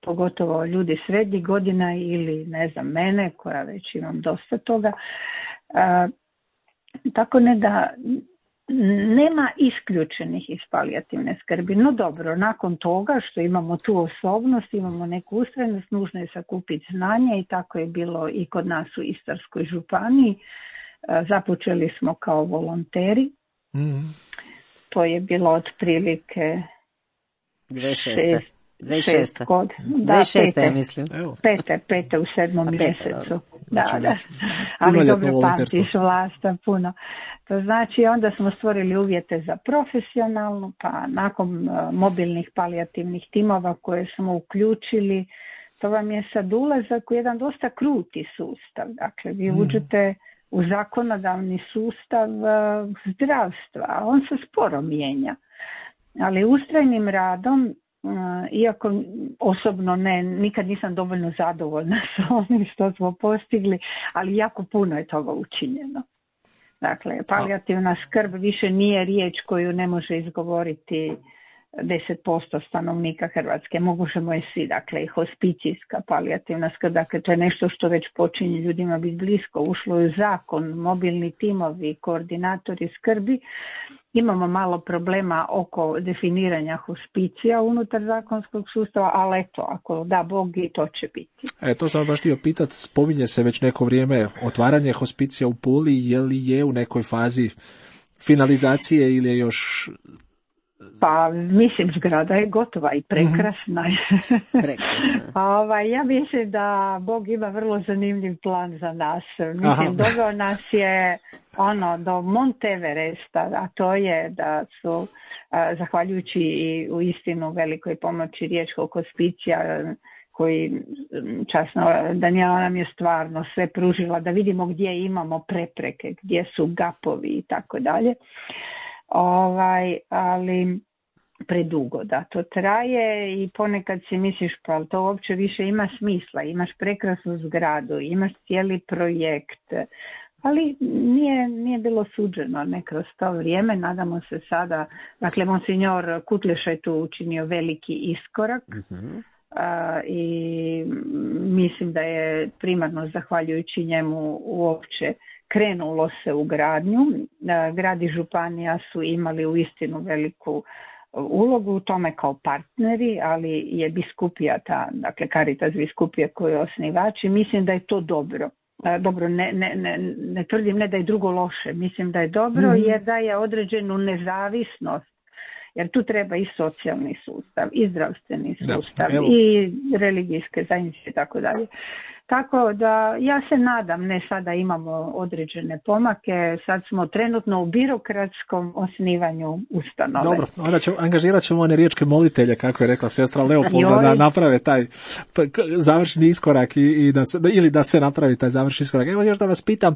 pogotovo ljudi srednjih godina ili ne znam mene koja već imam dosta toga. E, tako ne da nema isključenih iz palijativne skrbi. No dobro, nakon toga što imamo tu osobnost, imamo neku ustrajnost, nužno je sakupiti znanje i tako je bilo i kod nas u Istarskoj županiji. E, započeli smo kao volonteri. Mm-hmm. To je bilo otprilike dvadeset šeste Šest, šest god. Da, pete, mislim. Pete, pete u sedmom pete, mjesecu. Dobro. Da, znači, da. Ali dobro pamtiš Vlasta puno. To znači onda smo stvorili uvjete za profesionalnu, pa nakon uh, mobilnih palijativnih timova koje smo uključili, to vam je sad ulazak u jedan dosta kruti sustav. Dakle, vi mm. uđete u zakonodavni sustav uh, zdravstva, a on se sporo mijenja. Ali ustrajnim radom, iako osobno ne, nikad nisam dovoljno zadovoljna sa onim što smo postigli, ali jako puno je toga učinjeno. Dakle, palijativna skrb više nije riječ koju ne može izgovoriti deset posto stanovnika Hrvatske. Možemo je svi, dakle, i hospicijska palijativna skrb, dakle, to je nešto što već počinje ljudima biti blisko, ušlo je u zakon, mobilni timovi, koordinatori skrbi. Imamo malo problema oko definiranja hospicija unutar zakonskog sustava, ali eto, ako da Bog, i to će biti. E, to sam baš htio pitati, spominje se već neko vrijeme otvaranje hospicija u Puli, je li je u nekoj fazi finalizacije ili je još... Pa mislim, zgrada je gotova i prekrasna. Mm-hmm. Prekrasna. ovaj, ja mislim da Bog ima vrlo zanimljiv plan za nas. Mislim, doveo nas je ono do Monteveresta, a to je da su, a, zahvaljujući i u istinu velikoj pomoći riječkog hospicija, koji časno, Danijela nam je stvarno sve pružila da vidimo gdje imamo prepreke, gdje su gapovi i tako dalje. Ovaj, ali predugo da to traje i ponekad si misliš pa ali to uopće više ima smisla, imaš prekrasnu zgradu, imaš cijeli projekt, ali nije, nije bilo suđeno ne kroz to vrijeme, nadamo se sada, dakle monsignor Kutleša je tu učinio veliki iskorak. Mm-hmm. Uh, i mislim da je primarno zahvaljujući njemu uopće krenulo se u gradnju. Uh, grad i županija su imali uistinu veliku ulogu u tome kao partneri, ali je biskupija ta, dakle Caritas biskupija koji je osnivač i mislim da je to dobro. Uh, dobro, ne, ne, ne, ne tvrdim ne da je drugo loše, mislim da je dobro mm-hmm. jer daje određenu nezavisnost. Jer tu treba i socijalni sustav, i zdravstveni sustav, da, i religijske zajednice i tako dalje. Tako da ja se nadam, ne sada imamo određene pomake, sad smo trenutno u birokratskom osnivanju ustanove. Dobro, onda ćemo, angažirat ćemo one riječke molitelje, kako je rekla sestra Leopolda, da naprave taj završni iskorak i, i da se, ili da se napravi taj završni iskorak. Evo još da vas pitam,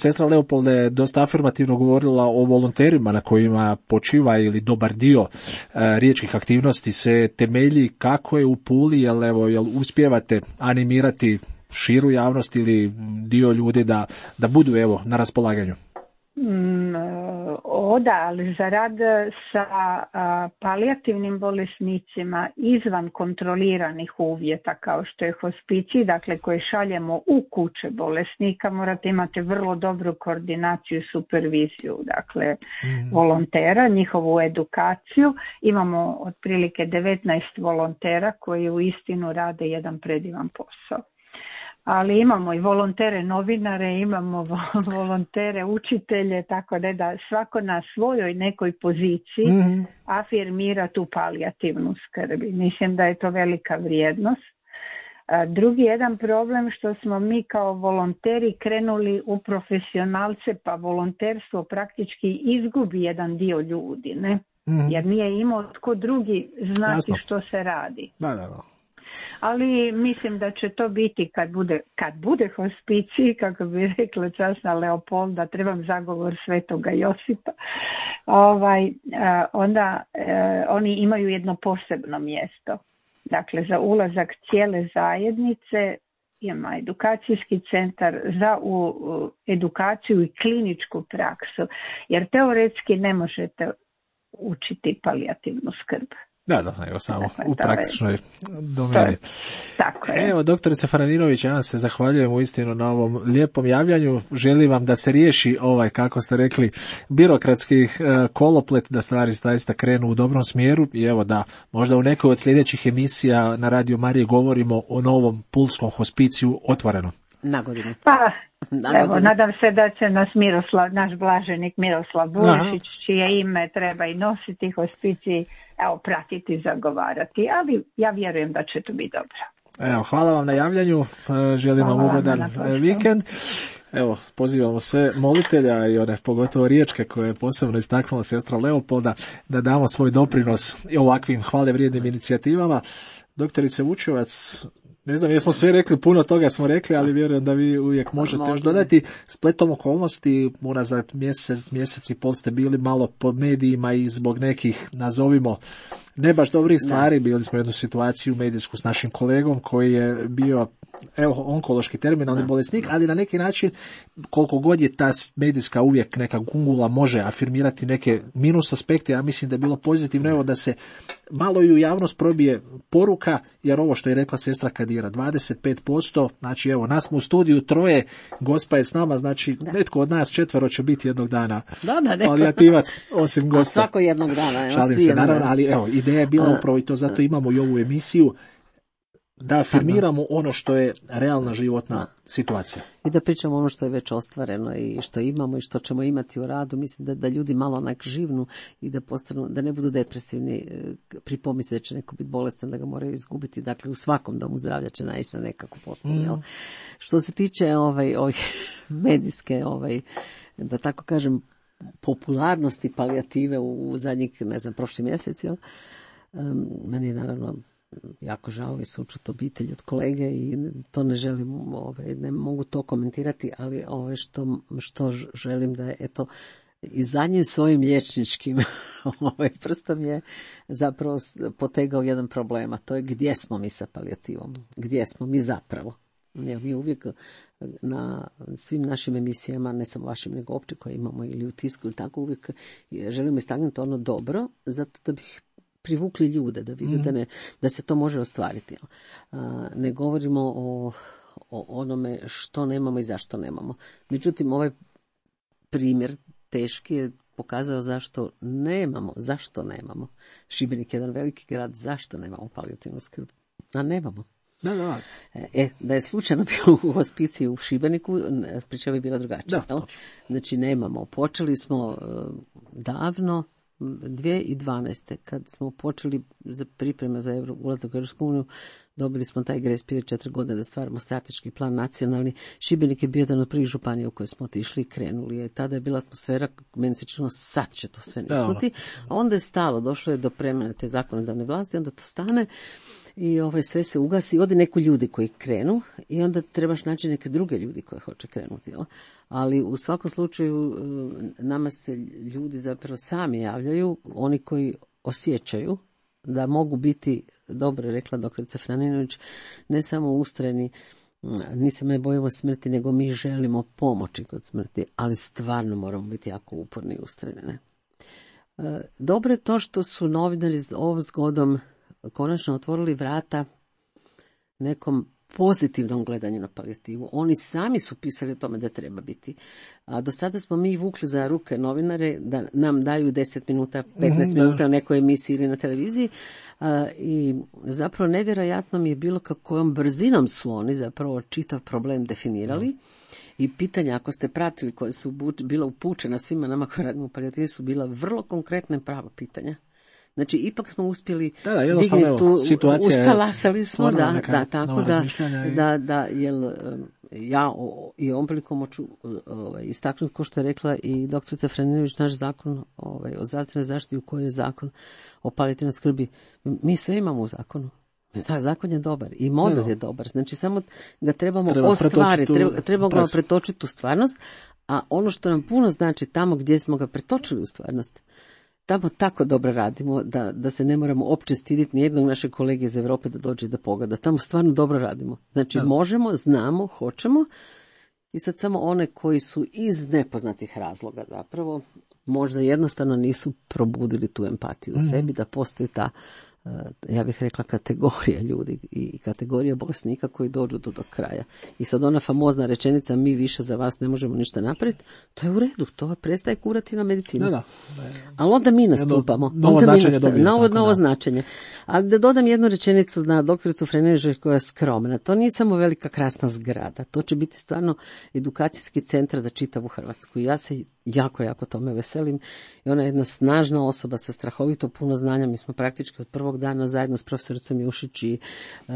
sestra Leopolda je dosta afirmativno govorila o volonterima na kojima počiva ili dobar dio riječkih aktivnosti se temelji. Kako je u Puli, jel, evo, jel uspijevate animirati širu javnost ili dio ljudi da, da budu evo na raspolaganju? Mm, oda, ali za rad sa a, palijativnim bolesnicima izvan kontroliranih uvjeta kao što je hospicij, dakle koje šaljemo u kuće bolesnika, morate imati vrlo dobru koordinaciju i superviziju, dakle mm. volontera, njihovu edukaciju. Imamo otprilike devetnaest volontera koji u istinu rade jedan predivan posao. Ali imamo i volontere novinare, imamo volontere učitelje, tako da, da svako na svojoj nekoj poziciji mm-hmm. afirmira tu palijativnu skrb. Mislim da je to velika vrijednost. Drugi jedan problem što smo mi kao volonteri krenuli u profesionalce, pa volonterstvo praktički izgubi jedan dio ljudi, ne? Mm-hmm. Jer nije imao tko drugi znati Jasno. Što se radi. Da, da, da. Ali mislim da će to biti kad bude, kad bude hospicij, kako bi rekla časna Leopolda, trebam zagovor Svetoga Josipa, ovaj, onda eh, oni imaju jedno posebno mjesto. Dakle, za ulazak cijele zajednice ima edukacijski centar za u, u edukaciju i kliničku praksu, jer teoretski ne možete učiti palijativnu skrb. Da, da, evo samo dakle, u praktičnoj domeni. Tako je. Evo, doktorice Faraninović, ja vam se zahvaljujem uistinu na ovom lijepom javljanju. Želim vam da se riješi ovaj, kako ste rekli, birokratski uh, koloplet, da stvari zaista krenu u dobrom smjeru i evo da možda u nekoj od sljedećih emisija na Radio Mariji govorimo o novom pulskom hospiciju otvoreno. Na godinu. Pa, evo, nadam se da će nas Miroslav, naš blaženik Miroslav Burišić, čije ime treba i nositi hospicij, evo, pratiti, zagovarati, ali ja vjerujem da će to biti dobro. Evo, hvala vam na javljanju, želim vam ugodan vikend. Evo, pozivamo sve molitelja i one pogotovo riječke koje je posebno istaknula sestra Leopolda da damo svoj doprinos i ovakvim hvale vrijednim inicijativama. Doktorice Vučevac, ne znam, jesmo sve rekli, puno toga smo rekli, ali vjerujem da vi uvijek možete još dodati. Spletom okolnosti, unazad mjesec, mjesec i pol ste bili malo po medijima i zbog nekih, nazovimo, ne baš dobrih stvari. Da. Bili smo jednu situaciju medijsku s našim kolegom koji je bio evo, onkološki terminalni da. bolesnik, ali na neki način, koliko god je ta medijska uvijek neka gungula može afirmirati neke minus aspekte, ja mislim da je bilo pozitivno evo da se malo i u javnost probije poruka, jer ovo što je rekla sestra Kadira, dvadeset pet posto, znači evo, nas smo u studiju troje, gospa je s nama, znači da. netko od nas četvero će biti jednog dana da, da, palijativac, osim gospa. Svako jednog dana. Evo, Šalim se, naravno, ali evo, ideja je bila upravo i to, zato imamo i ovu emisiju, da afirmiramo ono što je realna životna situacija. I da pričamo ono što je već ostvareno i što imamo i što ćemo imati u radu. Mislim da, da ljudi malo onak živnu i da postanu, da ne budu depresivni pri pomisli da će neko biti bolestan, da ga moraju izgubiti. Dakle, u svakom domu zdravlja će naići na nekakvu potpuno. Mm. Što se tiče ovaj, ovaj, medijske, ovaj, da tako kažem, popularnosti palijative u, u zadnjih, ne znam, prošli mjesec, jel? Um, meni je naravno jako žao i sučut obitelj od kolege i to ne želim, ovaj, ne mogu to komentirati, ali ovaj, što, što želim da je, eto, i zadnjim svojim liječničkim ovaj, prstom je zapravo potegao jedan problem, a to je gdje smo mi sa palijativom, gdje smo mi zapravo. Jer mi uvijek na svim našim emisijama, ne samo vašim, nego opće koje imamo ili u tisku ili tako, uvijek želimo istaknuti ono dobro, zato da bih privukli ljude, da vide mm. da, ne, da se to može ostvariti. A, ne govorimo o, o onome što nemamo i zašto nemamo. Međutim, ovaj primjer teški je pokazao zašto nemamo, zašto nemamo. Šibenik je jedan veliki grad, zašto nemamo palijativnu skrb? A nemamo. Da, da. E, da je slučajno bio u hospiciji u Šibeniku, priča bi bila drugačija. Znači, nemamo. Počeli smo uh, davno, dvije tisuće dvanaeste. kad smo počeli za pripreme za Euro, ulazak u Europsku uniju, dobili smo taj grace period četiri godine da stvaramo strateški plan nacionalni. Šibenik je bio jedan od prvih županija u koje smo otišli i krenuli. Je. Tada je bila atmosfera, meni se činilo, sad će to sve niknuti. A onda je stalo, došlo je do promjene te zakonodavne vlasti, onda to stane i ovaj, sve se ugasi. Ode neku ljudi koji krenu i onda trebaš naći neke druge ljudi koji hoće krenuti. Jel? Ali u svakom slučaju nama se ljudi zapravo sami javljaju, oni koji osjećaju da mogu biti, dobro je rekla doktorica Franinović, ne samo ustrajni, nisam ne bojimo smrti, nego mi želimo pomoći kod smrti, ali stvarno moramo biti jako uporni i ustrajni. Ne? Dobro je to što su novinari ovom zgodom konačno otvorili vrata nekom pozitivnom gledanju na palijativu. Oni sami su pisali o tome da treba biti. A do sada smo mi vukli za ruke novinare da nam daju deset minuta, petnaest minuta u nekoj emisiji ili na televiziji. A, i zapravo nevjerojatno mi je bilo kakvom brzinom su oni zapravo čitav problem definirali. Mm. I pitanja, ako ste pratili, koje su bila upućena svima nama koji radimo u palijativi, su bila vrlo konkretna i prava pitanja. Znači, ipak smo uspjeli da, da, digni tu, ustalasali smo, da, neka, da, tako da, i... da, da, jel, ja o, i ovom prilikom hoću ovaj, istaknuti, ko što je rekla i doktorica Franinović, naš zakon ovaj, o zdravstvenoj zaštiti u kojoj je zakon o palijativnoj skrbi, mi sve imamo u zakonu. Zakon je dobar i model je dobar, znači samo ga trebamo treba ostvariti, treba, trebamo ga pretočiti u stvarnost, a ono što nam puno znači tamo gdje smo ga pretočili u stvarnost, tamo tako dobro radimo da, da se ne moramo opće stiditi nijednog našeg kolege iz Europe da dođe da pogleda. Tamo stvarno dobro radimo. Znači ja. možemo, znamo, hoćemo i sad samo one koji su iz nepoznatih razloga zapravo možda jednostavno nisu probudili tu empatiju u mm. sebi, da postoji ta, ja bih rekla, kategorija ljudi i kategorija bolesnika koji dođu do, do kraja. I sad ona famozna rečenica, mi više za vas ne možemo ništa napraviti, to je u redu, to prestaje kurativna medicina. Da, da. Ali onda mi nastupamo. Novo onda značenje mi dobije. Novo, novo da. značenje. Ali da dodam jednu rečenicu na doktoricu Franinović koja je skromna. To nije samo velika krasna zgrada, to će biti stvarno edukacijski centar za čitavu Hrvatsku. I ja se jako, jako tome veselim. I ona je jedna snažna osoba sa strahovito puno znanja. Mi smo praktički od prvog dana zajedno s profesoricom Jušić i uh,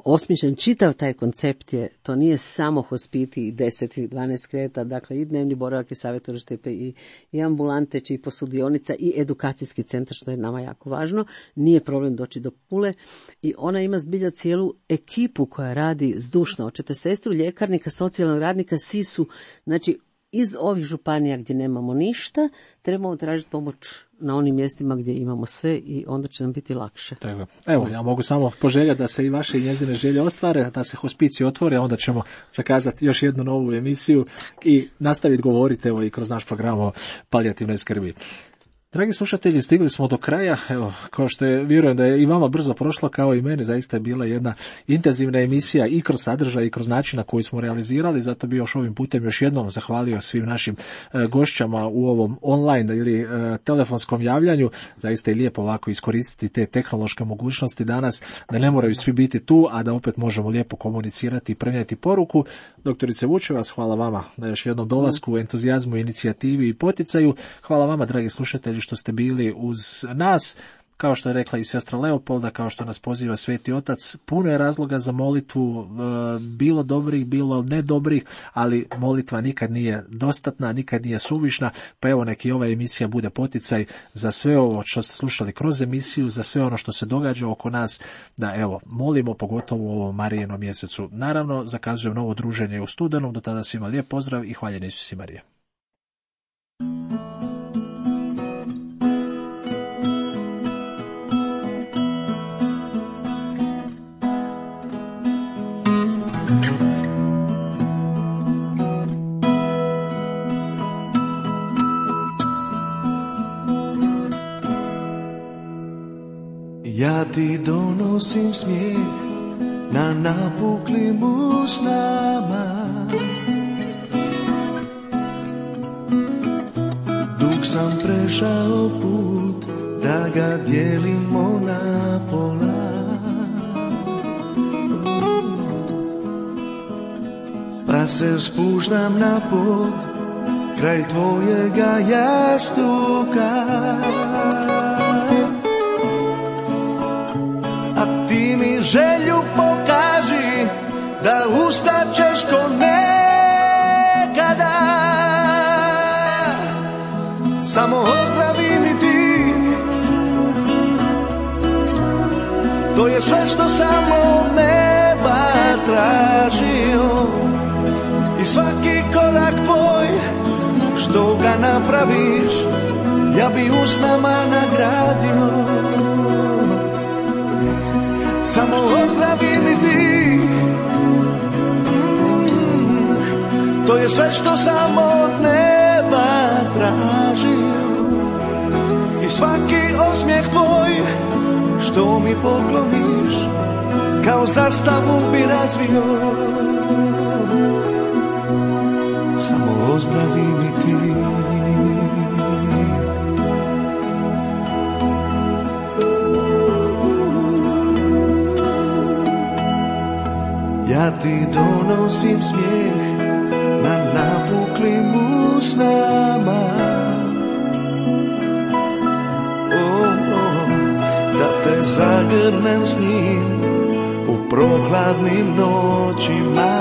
osmišljen čitav taj koncept je, to nije samo hospiti i deset i dvanaest kreveta, dakle i dnevni boravak i savjetovalište i, i ambulante, i posudionica i edukacijski centar, što je nama jako važno. Nije problem doći do Pule i ona ima zbilja cijelu ekipu koja radi zdušno. Hoćete sestru, ljekarnika, socijalnog radnika, svi su, znači, iz ovih županija gdje nemamo ništa, trebamo tražiti pomoć na onim mjestima gdje imamo sve i onda će nam biti lakše. Tako. Evo, ja mogu samo poželjeti da se i vaše i njezine želje ostvare, da se hospicij otvore, a onda ćemo zakazati još jednu novu emisiju i nastaviti govoriti evo i kroz naš program o palijativnoj skrbi. Dragi slušatelji, stigli smo do kraja, evo, kao što je, vjerujem da je i vama brzo prošlo, kao i meni, zaista je bila jedna intenzivna emisija i kroz sadržaj i kroz način na koji smo realizirali, zato bi još ovim putem još jednom zahvalio svim našim e, gošćama u ovom online ili e, telefonskom javljanju, zaista je lijepo ovako iskoristiti te tehnološke mogućnosti danas, da ne moraju svi biti tu, a da opet možemo lijepo komunicirati i prenijeti poruku. Doktorice Vučevac, hvala vama na još jednom dolasku, entuzijazmu, inicijativi i poticaju. Hvala vama, dragi slušatelji, što ste bili uz nas. Kao što je rekla i sestra Leopolda, kao što nas poziva Sveti Otac, puno je razloga za molitvu, bilo dobrih, bilo nedobrih, ali molitva nikad nije dostatna, nikad nije suvišna, pa evo neki ova emisija bude poticaj za sve ovo što ste slušali kroz emisiju, za sve ono što se događa oko nas, da evo, molimo pogotovo u ovom Marijinom mjesecu. Naravno, zakazujem novo druženje u studenom, do tada svima lijep pozdrav i hvaljen Isus i Marija. Ja ti donosim smijeh na napuklim usnama, dug sam prešao put da ga dijelimo na pola, pa se spuštam na pod kraj tvojega jastuka. Ti mi želju pokaži da ustaćeš ko nekada. Samo ozdravi mi ti, to je sve što sam od neba tražio. I svaki korak tvoj što ga napraviš, ja bi usnama nagradio. Samo ozdravi mi ti, mm, to je sve što sam od neba tražio. I svaki osmijeh tvoj što mi pokloniš, kao zastavu bi razvio. Samo ozdravi mi ti. Ja ti donosim smijeh na napuklim usnama, oh, oh, da te zagrnem s njim u prohladnim noćima.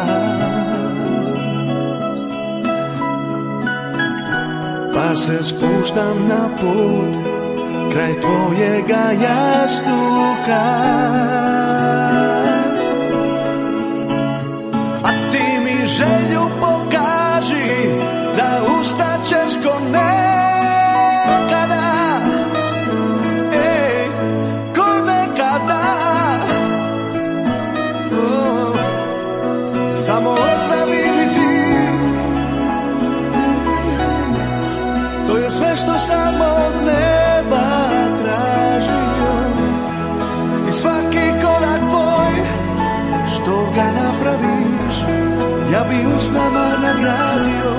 Pa se spuštam na put kraj tvojega jastuka. Želju pokaži da ustaćeš ko nekada, ej, ko nekada. Oh, samo ozdravi mi ti, to je sve što sam od neba tražio. I svaki korak tvoj što ga napraviš, ja bi usnama nagradio.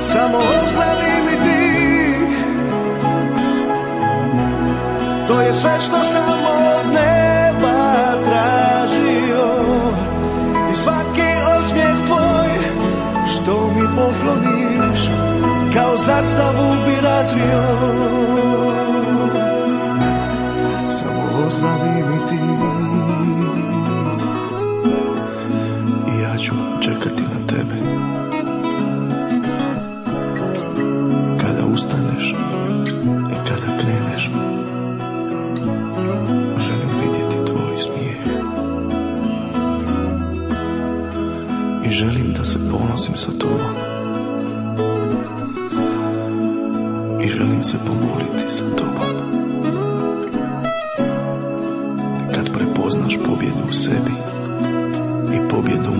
Samo ozdravi mi ti, to je sve što sam od neba tražio. I svaki osmijeh tvoj što mi pokloniš, kao zastavu bi razvio. Samo ozdravi mi ti, ću čekati na tebe. Kada ustaneš i kada kreneš, želim vidjeti tvoj smijeh i želim da se ponosim sa tobom. se pomoliti za tobom. Kad prepoznaš pobjedu u sebi i pobjedu u